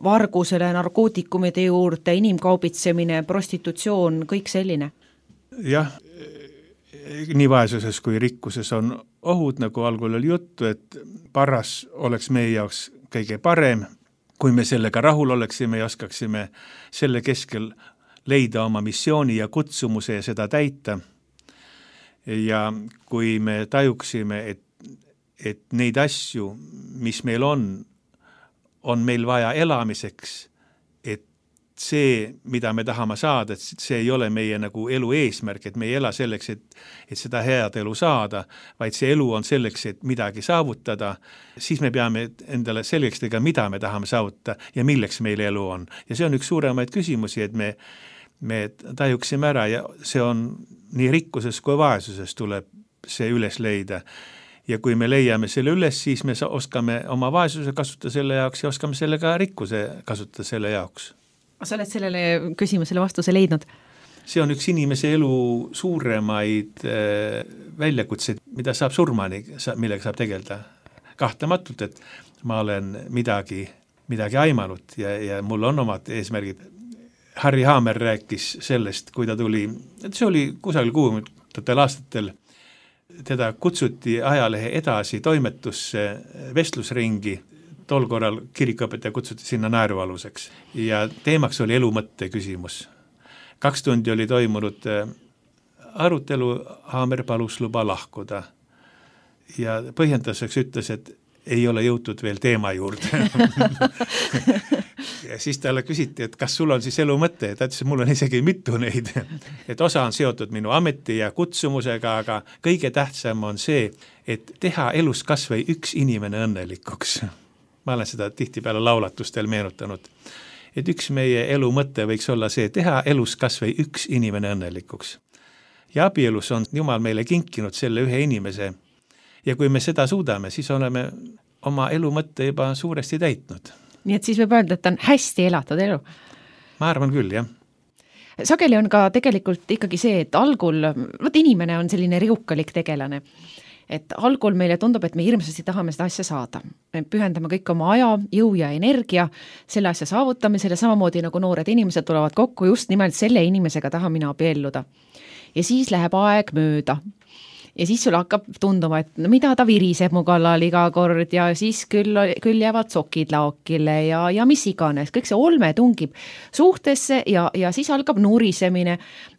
S6: vargusele, narkootikumide juurde, inimkaubitsemine, prostitutsioon, kõik selline.
S7: Jah, nii vaesuses kui rikkuses on ohud, nagu algul oli juttu, et paras oleks meie jaoks kõige parem, kui me sellega rahul oleksime ja oskaksime selle keskel leida oma missiooni ja kutsumuse ja seda täita. Ja kui me tajuksime, et, et neid asju, mis meil on, on meil vaja elamiseks, et see, mida me tahame saada, et see ei ole meie nagu elu eesmärk, et me ei ela selleks, et, et seda head elu saada, vaid see elu on selleks, et midagi saavutada, siis me peame endale selgeks tegema, mida me tahame saavutada ja milleks meil elu on. Ja see on üks suuremaid küsimusi, et me, me tajuksime ära ja see on nii rikkuses kui vaesuses tuleb see üles leida. Ja kui me leiame selle üles, siis me oskame oma vaesuse kasutada selle jaoks ja oskame selle ka rikkuse kasutada selle jaoks.
S6: Sa oled sellele küsimusele vastuse leidnud?
S7: See on üks inimese elu suuremaid äh, väljakutseid, mida saab surmani, millega saab tegeleda. Kahtlematult, et ma olen midagi, midagi aimanud ja, ja mul on omad eesmärgid. Harry Haamer rääkis sellest, kui ta tuli, et see oli kusagil kuuekümnendatel aastatel, teda kutsuti ajalehe edasi toimetusse vestlusringi, tol korral kirikuõpetaja kutsuti sinna naerualuseks ja teemaks oli elumõtte küsimus. Kaks tundi oli toimunud arutelu, Haamer palus luba lahkuda ja põhjenduseks ütles, et ei ole jõutud veel teema juurde. Ja siis talle küsiti, et kas sul on siis elumõtte, ta ütles, et mul on isegi mitu neid, et osa on seotud minu ameti ja kutsumusega, aga kõige tähtsam on see, et teha elus kas või üks inimene õnnelikuks. Ma olen seda tihtipeale laulatustel meenutanud, et üks meie elu mõte võiks olla see, teha elus kas või üks inimene õnnelikuks. Ja abielus on Jumal meile kinkinud selle ühe inimese ja kui me seda suudame, siis oleme oma elu mõtte juba suuresti täitnud.
S6: Nii et siis võib öelda, et on hästi elatud elu?
S7: Ma arvan küll, jah.
S6: Sageli on ka tegelikult ikkagi see, et algul, võt inimene on selline riukalik tegelane. et algul meile tundub, et me hirmsasti tahame seda asja saada. Me pühendame kõik oma aja, jõu ja energia selle asja saavutamisele, samamoodi nagu noored inimesed tulevad kokku just nimelt selle inimesega taha mina abielluda. Ja siis läheb aeg mööda. Ja siis sul hakkab tunduma, et no mida ta viriseb mu kallal iga kord ja siis küll, küll jäävad sokid laokile ja, ja mis iganes. Kõik see olme tungib suhtesse ja, ja siis algab nurisemine.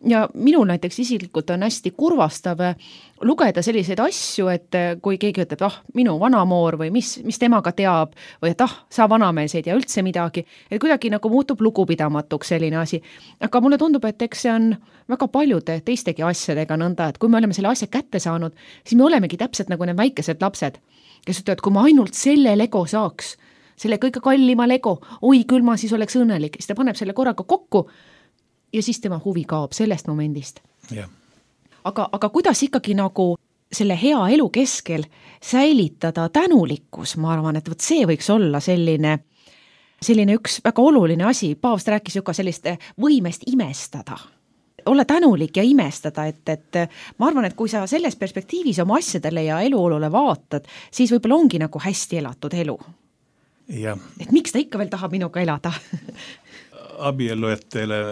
S6: Ja minul näiteks isiklikult on hästi kurvastav lugeda selliseid asju, et kui keegi ütleb, ah, minu vanamoor või mis, mis temaga teab või et ah, sa vanamees ei tea üldse midagi, et kuidagi nagu muutub lugupidamatuks selline asi. Aga mulle tundub, et eks see on väga paljude teistegi asjadega nõnda, et kui me oleme selle asja kätte saanud, siis me olemegi täpselt nagu need väikesed lapsed, kes ütlevad, kui ma ainult selle lego saaks, selle kõige kallima lego, oi küll ma siis oleks õnnelik, siis ta paneb selle korraga kokku ja siis tema huvi kaob sellest momendist.
S7: Jah.
S6: Aga, aga kuidas ikkagi nagu selle hea elu keskel säilitada tänulikkus, ma arvan, et võt see võiks olla selline, selline üks väga oluline asi. Paavst rääkis ju ka sellist võimest imestada. Olla tänulik ja imestada, et, et ma arvan, et kui sa selles perspektiivis oma asjadele ja eluolule vaatad, siis võib-olla ongi nagu hästi elatud elu.
S7: Ja.
S6: Et miks ta ikka veel tahab minuga elada?
S7: Abiellujatele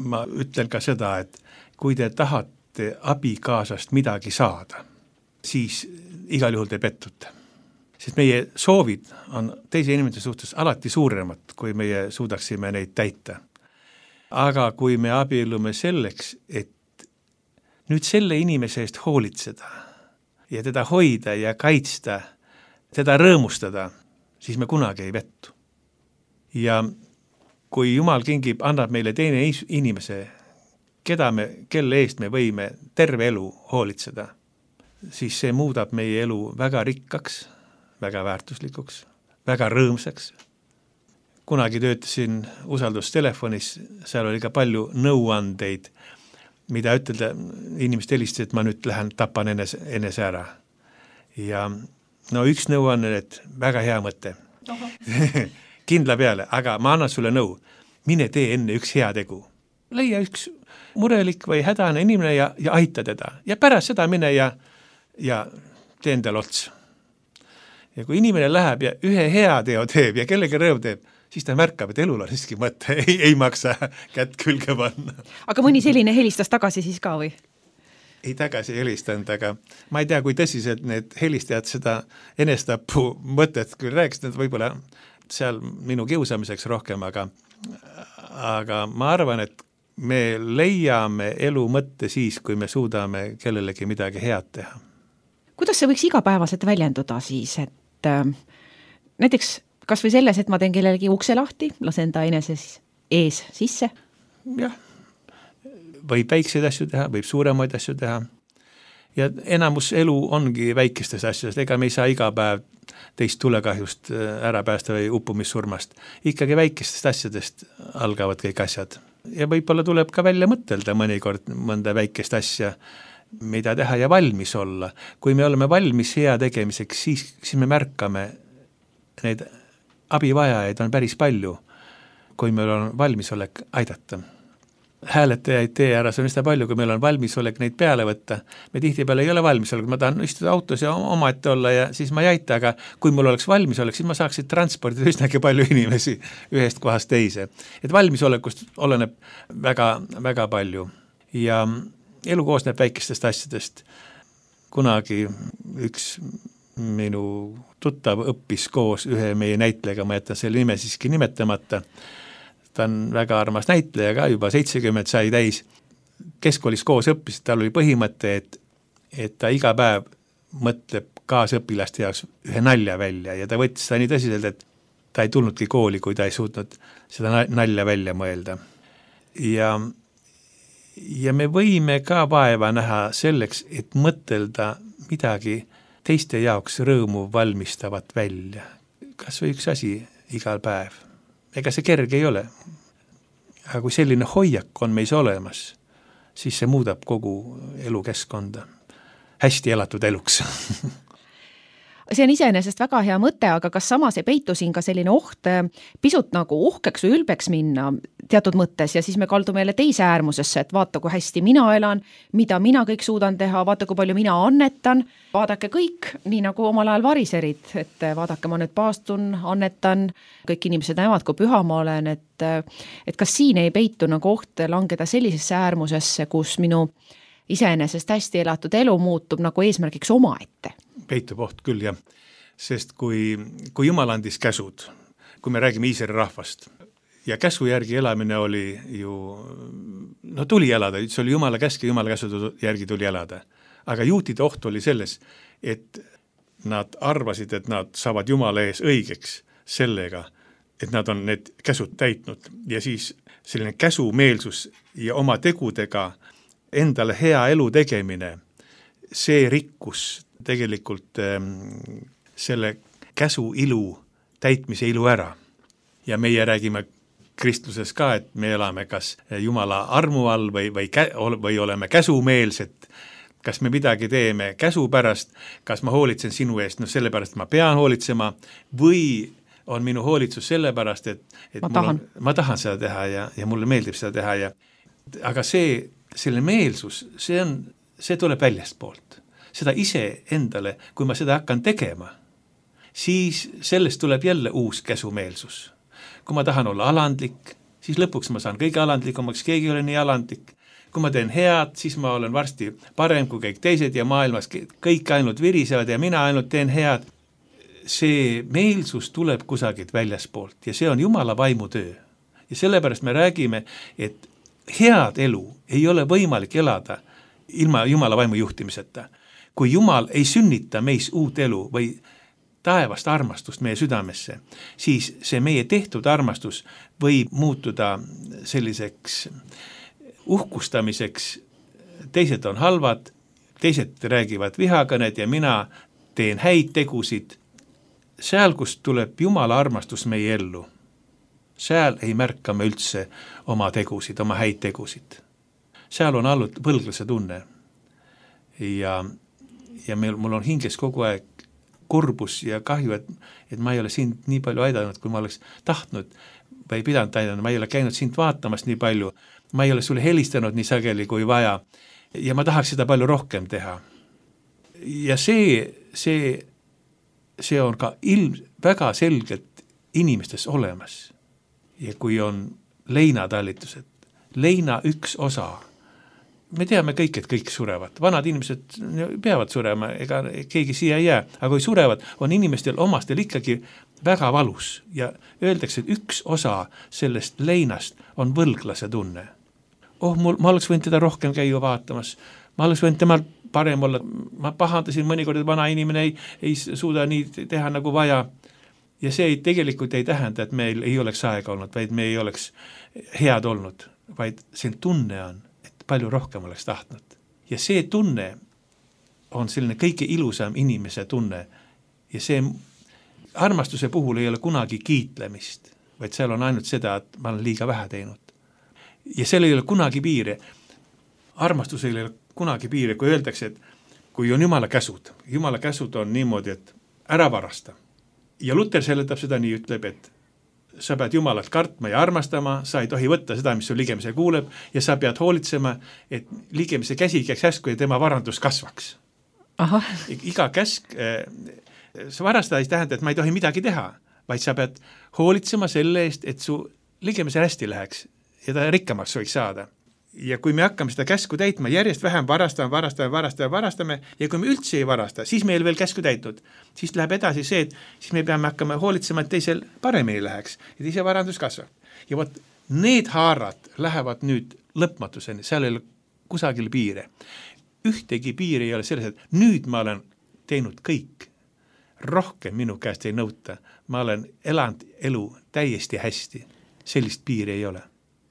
S7: ma ütlen ka seda, et kui te tahate abikaasast midagi saada, siis igal juhul te pettute. Sest meie soovid on teise inimese suhtes alati suuremad, kui meie suudaksime neid täita. Aga kui me abiellume selleks, et nüüd selle inimese eest hoolitseda ja teda hoida ja kaitsta, teda rõõmustada, siis me kunagi ei vettu. Ja kui Jumal kingib, annab meile teine inimese, keda me, kelle eest me võime terve elu hoolitseda, siis see muudab meie elu väga rikkaks, väga väärtuslikuks, väga rõõmsaks. Kunagi töötasin usaldustelefonis, seal oli ka palju nõuandeid, mida ütelda, inimesed helistasid, et ma nüüd lähen tapan enese, enese ära. Ja no üks nõuanne, et väga hea mõte. Kindla peale, aga ma annan sulle nõu. Mine tee enne üks hea tegu. Leia üks murelik või hädane inimene ja, ja aita teda. Ja pärast seda mine ja, ja tee endale ots. Ja kui inimene läheb ja ühe hea teo teeb ja kellegi rõõm teeb, siis ta märkab, et elul on siiski mõte, ei, ei maksa kätt külge panna.
S6: Aga mõni selline helistas tagasi siis ka või?
S7: Ei tagasi helistanud, aga ma ei tea, kui tõsiselt need helistajad seda enestapu mõtet küll rääkisid, et võib-olla seal minu kiusamiseks rohkem, aga, aga ma arvan, et me leiame elu mõtte siis, kui me suudame kellelegi midagi head teha.
S6: Kuidas see võiks igapäevaselt väljenduda siis, et äh, näiteks kas või selles, et ma teen kellelegi ukse lahti, lasen ta eneses ees sisse?
S7: Jah, võib väikseid asju teha, võib suuremaid asju teha. Ja enamus elu ongi väikestes asjadest, ega me ei saa iga päev teist tulekahjust ära päästa või uppumissurmast. Ikkagi väikestest asjadest algavad kõik asjad. Ja võib-olla tuleb ka välja mõtelda mõnikord mõnda väikest asja, mida teha ja valmis olla. Kui me oleme valmis hea tegemiseks, siis, siis me märkame, neid abivajajaid on päris palju, kui meil on valmisolek aidata. Hääletajaid tee ära, see on üsna palju, kui meil on valmisolek neid peale võtta. Me tihtipeale ei ole valmisolek, ma tahan istuda autos ja omaette olla ja siis ma ei aita, aga kui mul oleks valmisolek, siis ma saaksin transportida üsnagi palju inimesi ühest kohast teise. Et valmisolekust oleneb väga, väga palju. Ja elu koosneb väikestest asjadest. Kunagi üks minu tuttav õppis koos ühe meie näitlejaga, ma jätan selle nime siiski nimetamata. Ta on väga armas näitleja ka, juba seitsekümmend sai täis. Keskkoolis koos õppis, tal oli põhimõte, et, et ta iga päev mõtleb kaasõpilaste jaoks ühe nalja välja ja ta võttis seda nii tõsiselt, et ta ei tulnudki kooli, kui ta ei suutnud seda nalja välja mõelda. Ja, ja me võime ka vaeva näha selleks, et mõtelda midagi teiste jaoks rõõmu valmistavat välja. Kas või üks asi igal päev. Ega see kerge ei ole. Aga kui selline hoiak on meis olemas, siis see muudab kogu elukeskkonda hästi elatud eluks.
S6: see on iseenesest väga hea mõte, aga kas samas ei peitu siin ka selline oht pisut nagu uhkeks või ülbeks minna teatud mõttes ja siis me kaldume jälle teise äärmusesse, et vaata, kui hästi mina elan, mida mina kõik suudan teha, vaata, kui palju mina annetan, vaadake kõik, nii nagu omal ajal variserid, et vaadake, ma nüüd paastun, annetan, kõik inimesed näevad, kui püha ma olen, et, et kas siin ei peitu nagu oht langeda sellisesse äärmusesse, kus minu iseenesest hästi elatud elu muutub nagu eesmärgiks omaette?
S7: Peitub oht küll, jah. Sest kui, kui Jumal andis käsud, kui me räägime Iisraeli rahvast, ja käsu järgi elamine oli ju, no tuli elada, see oli Jumala käsk ja Jumala käsu järgi tuli elada. Aga juutide oht oli selles, et nad arvasid, et nad saavad Jumala ees õigeks sellega, et nad on need käsud täitnud. Ja siis selline käsumeelsus ja oma tegudega endale hea elu tegemine, see rikkus tegelikult ähm, selle käsu ilu, täitmise ilu ära. Ja meie räägime kristluses ka, et me elame kas Jumala armu all või, või, kä- või oleme käsumeelsed, kas me midagi teeme käsu pärast, kas ma hoolitsen sinu eest, no sellepärast ma pean hoolitsema, või on minu hoolitsus sellepärast, et, et
S6: ma,
S7: mul
S6: tahan.
S7: On, ma tahan seda teha ja, ja mulle meeldib seda teha. Ja, aga see, selle meelsus, see, on, see tuleb väljast poolt. Seda ise endale, kui ma seda hakkan tegema, siis sellest tuleb jälle uus käsumeelsus. Kui ma tahan olla alandlik, siis lõpuks ma saan kõige alandlikumaks, keegi ei ole nii alandlik. Kui ma teen head, siis ma olen varsti parem kui kõik teised ja maailmas kõik ainult virisevad ja mina ainult teen head. See meelsus tuleb kusagilt väljaspoolt ja see on Jumala vaimu töö. Ja sellepärast me räägime, et head elu ei ole võimalik elada ilma Jumala vaimu juhtimiseta. Kui Jumal ei sünnita meis uut elu või taevast armastust meie südamesse, siis see meie tehtud armastus võib muutuda selliseks uhkustamiseks. Teised on halvad, teised räägivad vihakõned ja mina teen häid tegusid. Seal, kus tuleb Jumala armastus meie ellu, seal ei märka me üldse oma tegusid, oma häid tegusid. Seal on olnud võlglase tunne ja ja meil, mul on hinges kogu aeg kurbus ja kahju, et, et ma ei ole sind nii palju aidanud, kui ma oleks tahtnud või pidanud aidanud, ma ei ole käinud sind vaatamas nii palju, ma ei ole sulle helistanud nii sageli kui vaja ja ma tahaks seda palju rohkem teha. Ja see, see, see on ka ilm väga selgelt inimestes olemas. Ja kui on leinatallitused, leina üks osa, me teame kõik, et kõik surevad. Vanad inimesed peavad surema, ega keegi siia ei jää. Aga kui surevad, on inimestel omastel ikkagi väga valus. Ja öeldakse, et üks osa sellest leinast on võlglase tunne. Oh, mul, ma oleks võinud teda rohkem käia vaatamas. Ma oleks võinud temal parem olla. Ma pahandasin mõnikord, et vana inimene ei, ei suuda nii teha nagu vaja. Ja see ei, tegelikult ei tähenda, et meil ei oleks aega olnud, vaid me ei oleks head olnud. Vaid see tunne on, palju rohkem oleks tahtnud. Ja see tunne on selline kõige ilusam inimese tunne. Ja see armastuse puhul ei ole kunagi kiitlemist, vaid seal on ainult seda, et ma olen liiga vähe teinud. Ja seal ei ole kunagi piire. Armastusel ei ole kunagi piire, kui öeldakse, et kui on Jumala käsud, Jumala käsud on niimoodi, et ära varasta. Ja Luther seletab seda nii, ütleb, et sa pead Jumalat kartma ja armastama, sa ei tohi võtta seda, mis su ligemise kuuleb ja sa pead hoolitsema, et ligemise käsi käiks häsku ja tema varandus kasvaks.
S6: Aha.
S7: Iga käsk, see varastada ei tähenda, et ma ei tohi midagi teha, vaid sa pead hoolitsema selle eest, et su ligemise hästi läheks ja ta rikkamaks võiks saada. Ja kui me hakkame seda käsku täitma, järjest vähem varastame, varastame, varastame, varastame ja kui me üldse ei varasta, siis meil veel käsku täitud. Siis läheb edasi see, et siis me peame hakkama hoolitsema, et teisel paremini läheks ja teise varandus kasvab. Ja võt, need haarad lähevad nüüd lõpmatuseni, seal ei ole kusagil piire. Ühtegi piiri ei ole selles, et nüüd ma olen teinud kõik. Rohkem minu käest ei nõuta. Ma olen elanud elu täiesti hästi. Sellist piiri ei ole.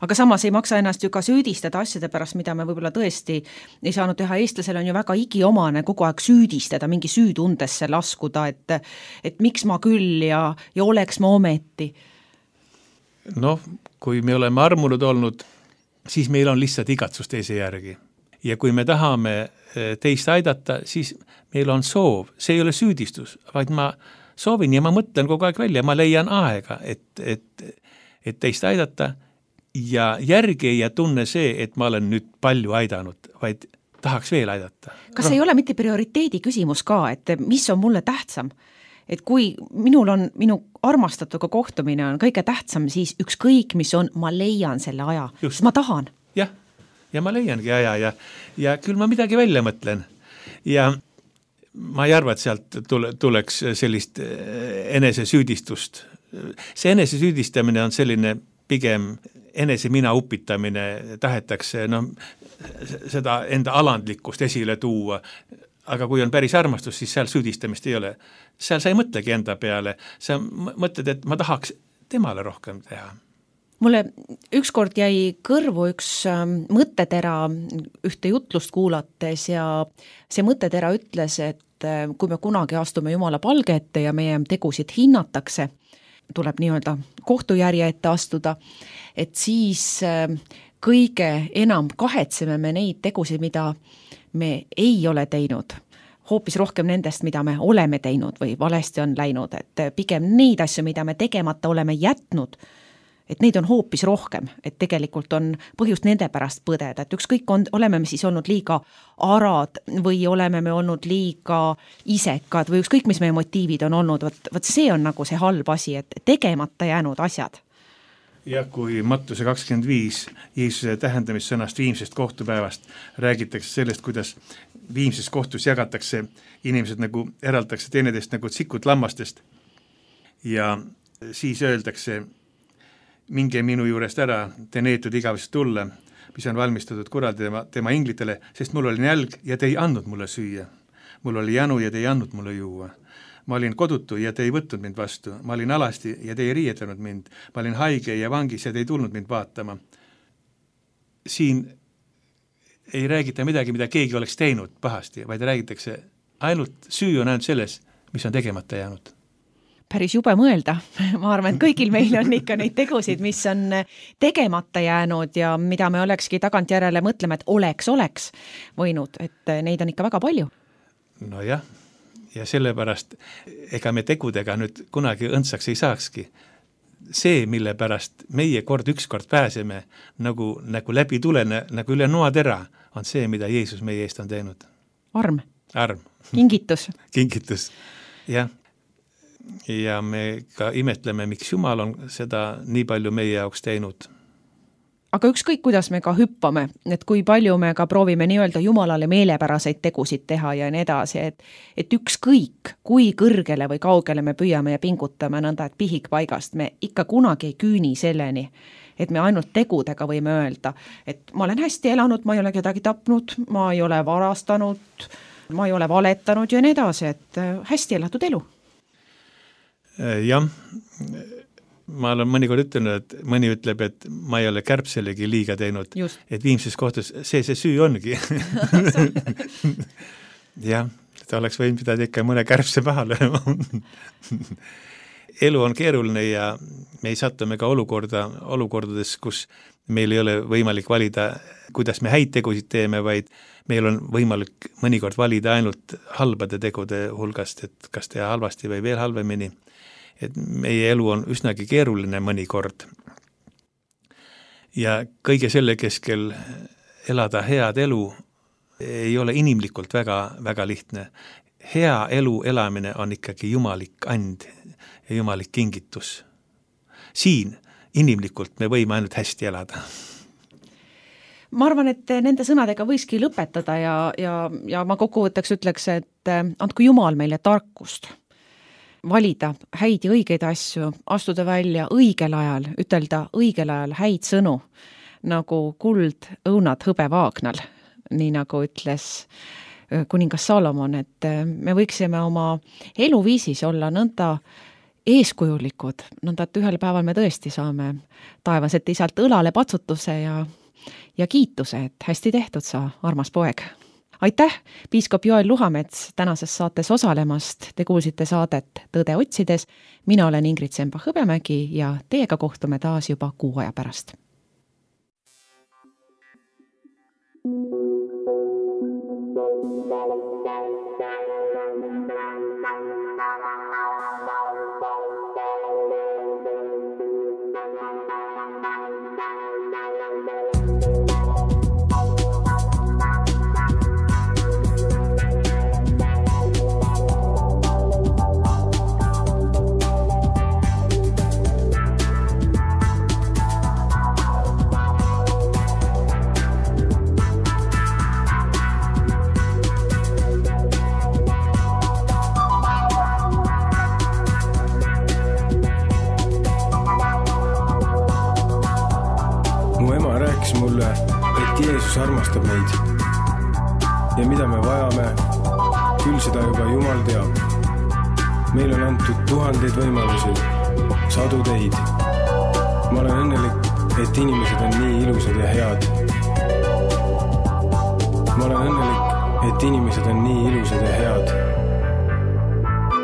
S6: Aga samas ei maksa ennast ju ka süüdistada asjade pärast, mida me võib-olla tõesti ei saanud teha. Eestlasel on ju väga igiomane kogu aeg süüdistada, mingi süütundesse laskuda, et, et miks ma küll ja, ja oleks ma ometi.
S7: Noh, kui me oleme armunud olnud, siis meil on lihtsalt igatsus teise järgi. ja kui me tahame teist aidata, siis meil on soov, see ei ole süüdistus, vaid ma soovin ja ma mõtlen kogu aeg välja, ma leian aega, et, et, et teist aidata ja järgi ja tunne see, et ma olen nüüd palju aidanud, vaid tahaks veel aidata.
S6: Kas ei ole mitte prioriteedi küsimus ka, et mis on mulle tähtsam? Et kui minul on, minu armastatuga kohtumine on kõige tähtsam, siis ükskõik, mis on, ma leian selle aja, sest ma tahan.
S7: Jah, ja ma leiangi aja ja, ja küll ma midagi välja mõtlen. Ja ma ei arva, et sealt tule, tuleks sellist enesesüüdistust. See enesesüüdistamine on selline pigem enese mina upitamine, tahetakse no, seda enda alandlikkust esile tuua, aga kui on päris armastus, siis seal süüdistamist ei ole. Seal sa ei mõtlegi enda peale, sa mõtled, et ma tahaks temale rohkem teha.
S6: Mulle ükskord jäi kõrvu üks mõttetera ühte jutlust kuulates ja see mõttetera ütles, et kui me kunagi astume Jumala palge ette ja meie tegusid hinnatakse, tuleb nii-öelda kohtujärje ette astuda, et siis kõige enam kahetseme me neid tegusid, mida me ei ole teinud, hoopis rohkem nendest, mida me oleme teinud või valesti on läinud, et pigem neid asju, mida me tegemata oleme jätnud, et neid on hoopis rohkem, et tegelikult on põhjust nende pärast põdeda, et ükskõik on, oleme me siis olnud liiga arad või oleme me olnud liiga isekad või ükskõik, mis meie motiivid on olnud, võt, võt see on nagu see halb asi, et tegemata jäänud asjad.
S7: Ja kui Mattuse kakskümmend viis Jeesuse tähendamissõnast viimsest kohtupäevast räägitakse sellest, kuidas viimses kohtus jagatakse inimesed nagu eraldatakse teineteist nagu tsikut lammastest ja siis öeldakse minge minu juurest ära, te neetud igavest tulla, mis on valmistatud kuradi tema, tema inglitele, sest mul oli nälg ja te ei andnud mulle süüa. Mul oli janu ja te ei andnud mulle juua. Ma olin kodutu ja te ei võtnud mind vastu. Ma olin alasti ja te ei riietanud mind. Ma olin haige ja vangis ja te ei tulnud mind vaatama. Siin ei räägita midagi, mida keegi oleks teinud pahasti, vaid räägitakse ainult süü on ainult selles, mis on tegemata jäänud.
S6: Päris jube mõelda. Ma arvan, et kõigil meil on ikka neid tegusid, mis on tegemata jäänud ja mida me olekski tagantjärele mõtlema, et oleks, oleks võinud, et neid on ikka väga palju.
S7: No jah, ja sellepärast ega me tegudega nüüd kunagi õndsaks ei saakski. See, mille pärast meie kord ükskord pääseme nagu, nagu läbi tulene, nagu üle noatera, on see, mida Jeesus meie eest on teinud.
S6: Arm.
S7: Arm.
S6: Kingitus.
S7: Kingitus, jah. Ja me ka imetleme, miks Jumal on seda nii palju meie jaoks teinud.
S6: Aga ükskõik, kuidas me ka hüppame, et kui palju me ka proovime nii-öelda Jumalale meelepäraseid tegusid teha ja nii edasi, et, et ükskõik, kui kõrgele või kaugele me püüame ja pingutame nõnda, et pihik paigast, me ikka kunagi ei küüni selleni, et me ainult tegudega võime öelda, et ma olen hästi elanud, ma ei ole kedagi tapnud, ma ei ole varastanud, ma ei ole valetanud ja nii edasi, et hästi elatud elu.
S7: Jah, ma olen mõnikord ütlenud, et mõni ütleb, et ma ei ole kärbselegi liiga teinud, Just. et viimses kohtus see see süü ongi. Jah, ta oleks võinud pidada ikka mõne kärbse maha lööma. Elu on keeruline ja me ei satume ka olukorda, olukordades, kus meil ei ole võimalik valida, kuidas me häid tegusid teeme, vaid meil on võimalik mõnikord valida ainult halbade tegude hulgast, et kas teha halvasti või veel halvemini. Et meie elu on üsnagi keeruline mõnikord. Ja kõige selle keskel elada head elu ei ole inimlikult väga, väga lihtne. Hea elu elamine on ikkagi jumalik and ja jumalik kingitus. Siin inimlikult me võime ainult hästi elada.
S6: Ma arvan, et nende sõnadega võiski lõpetada ja, ja, ja ma kokkuvõtteks ütleks, et andku Jumal meile tarkust valida häid ja õigeid asju, astuda välja õigel ajal, ütelda õigel ajal häid sõnu, nagu kuld õunad hõbe vaagnal, nii nagu ütles kuningas Salomon, et me võiksime oma eluviisis olla nõnda eeskujulikud, nõnda, et ühel päeval me tõesti saame taevaselt isalt õlale patsutuse ja, ja kiituse, et hästi tehtud sa, armas poeg. Aitäh, piiskop Joel Luhamets tänases saates osalemast. Te kuulsite saadet Tõde otsides. Mina olen Ingrid Semba-Hõbemägi ja teiega kohtume taas juba kuu aja pärast.
S4: rääkis mulle, et Jeesus armastab meid. Ja mida me vajame, küll seda juba Jumal teab. Meil on antud tuhandeid võimalusi, sadu teid. Ma olen õnnelik, et inimesed on nii ilusad ja head. Ma olen õnnelik, et inimesed on nii ilusad ja head.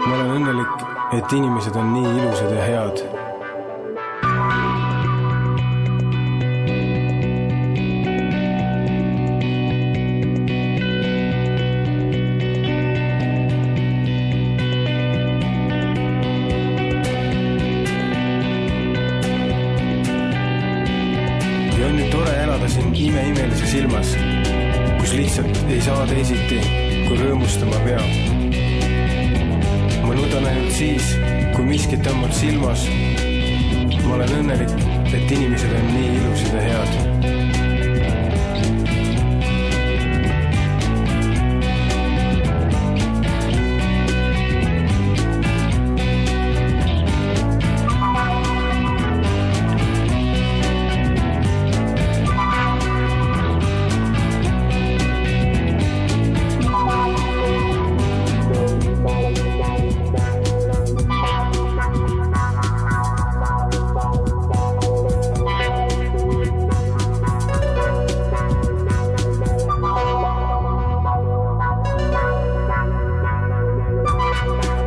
S4: Ma olen õnnelik, et inimesed on nii ilusad ja head. Ja on nüüd tore elada siin ime-imelises ilmas, kus lihtsalt ei saa teisiti, kui rõõmustama peab. Ma nudan ainult siis, kui miskit on mul silmas. Ma olen õnnelik, et inimesed on nii ilusad ja head.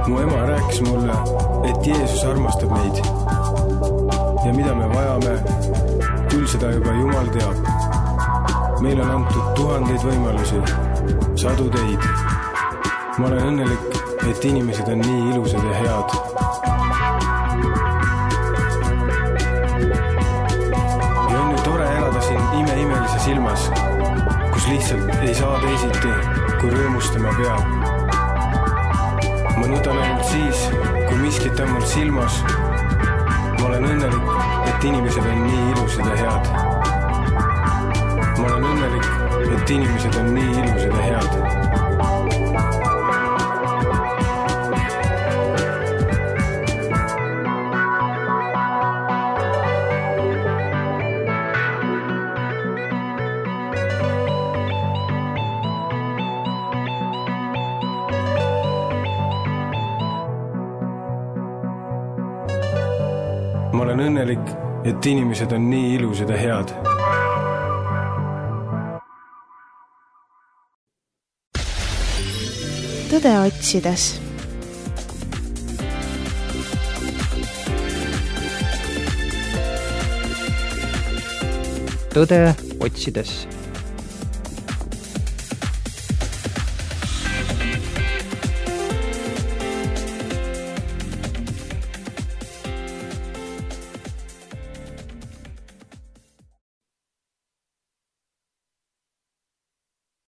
S4: Mu ema rääkis mulle, et Jeesus armastab meid. Ja mida me vajame, küll seda juba Jumal teab. Meil on antud tuhandeid võimalusi, sadu teid. Ma olen õnnelik, et inimesed on nii ilusad ja head. Ja on nüüd tore elada siin ime-imelises ilmas, kus lihtsalt ei saa teisiti, kui rõõmustama peab. Ma nudan ainult siis, kui miskit on mul silmas. Ma olen õnnelik, et inimesed on nii ilusad ja head. Ma olen õnnelik, et inimesed on nii ilusad ja head. Ma olen õnnelik, et inimesed on nii ilusad ja head.
S2: Tõde otsides.
S3: Tõde otsides.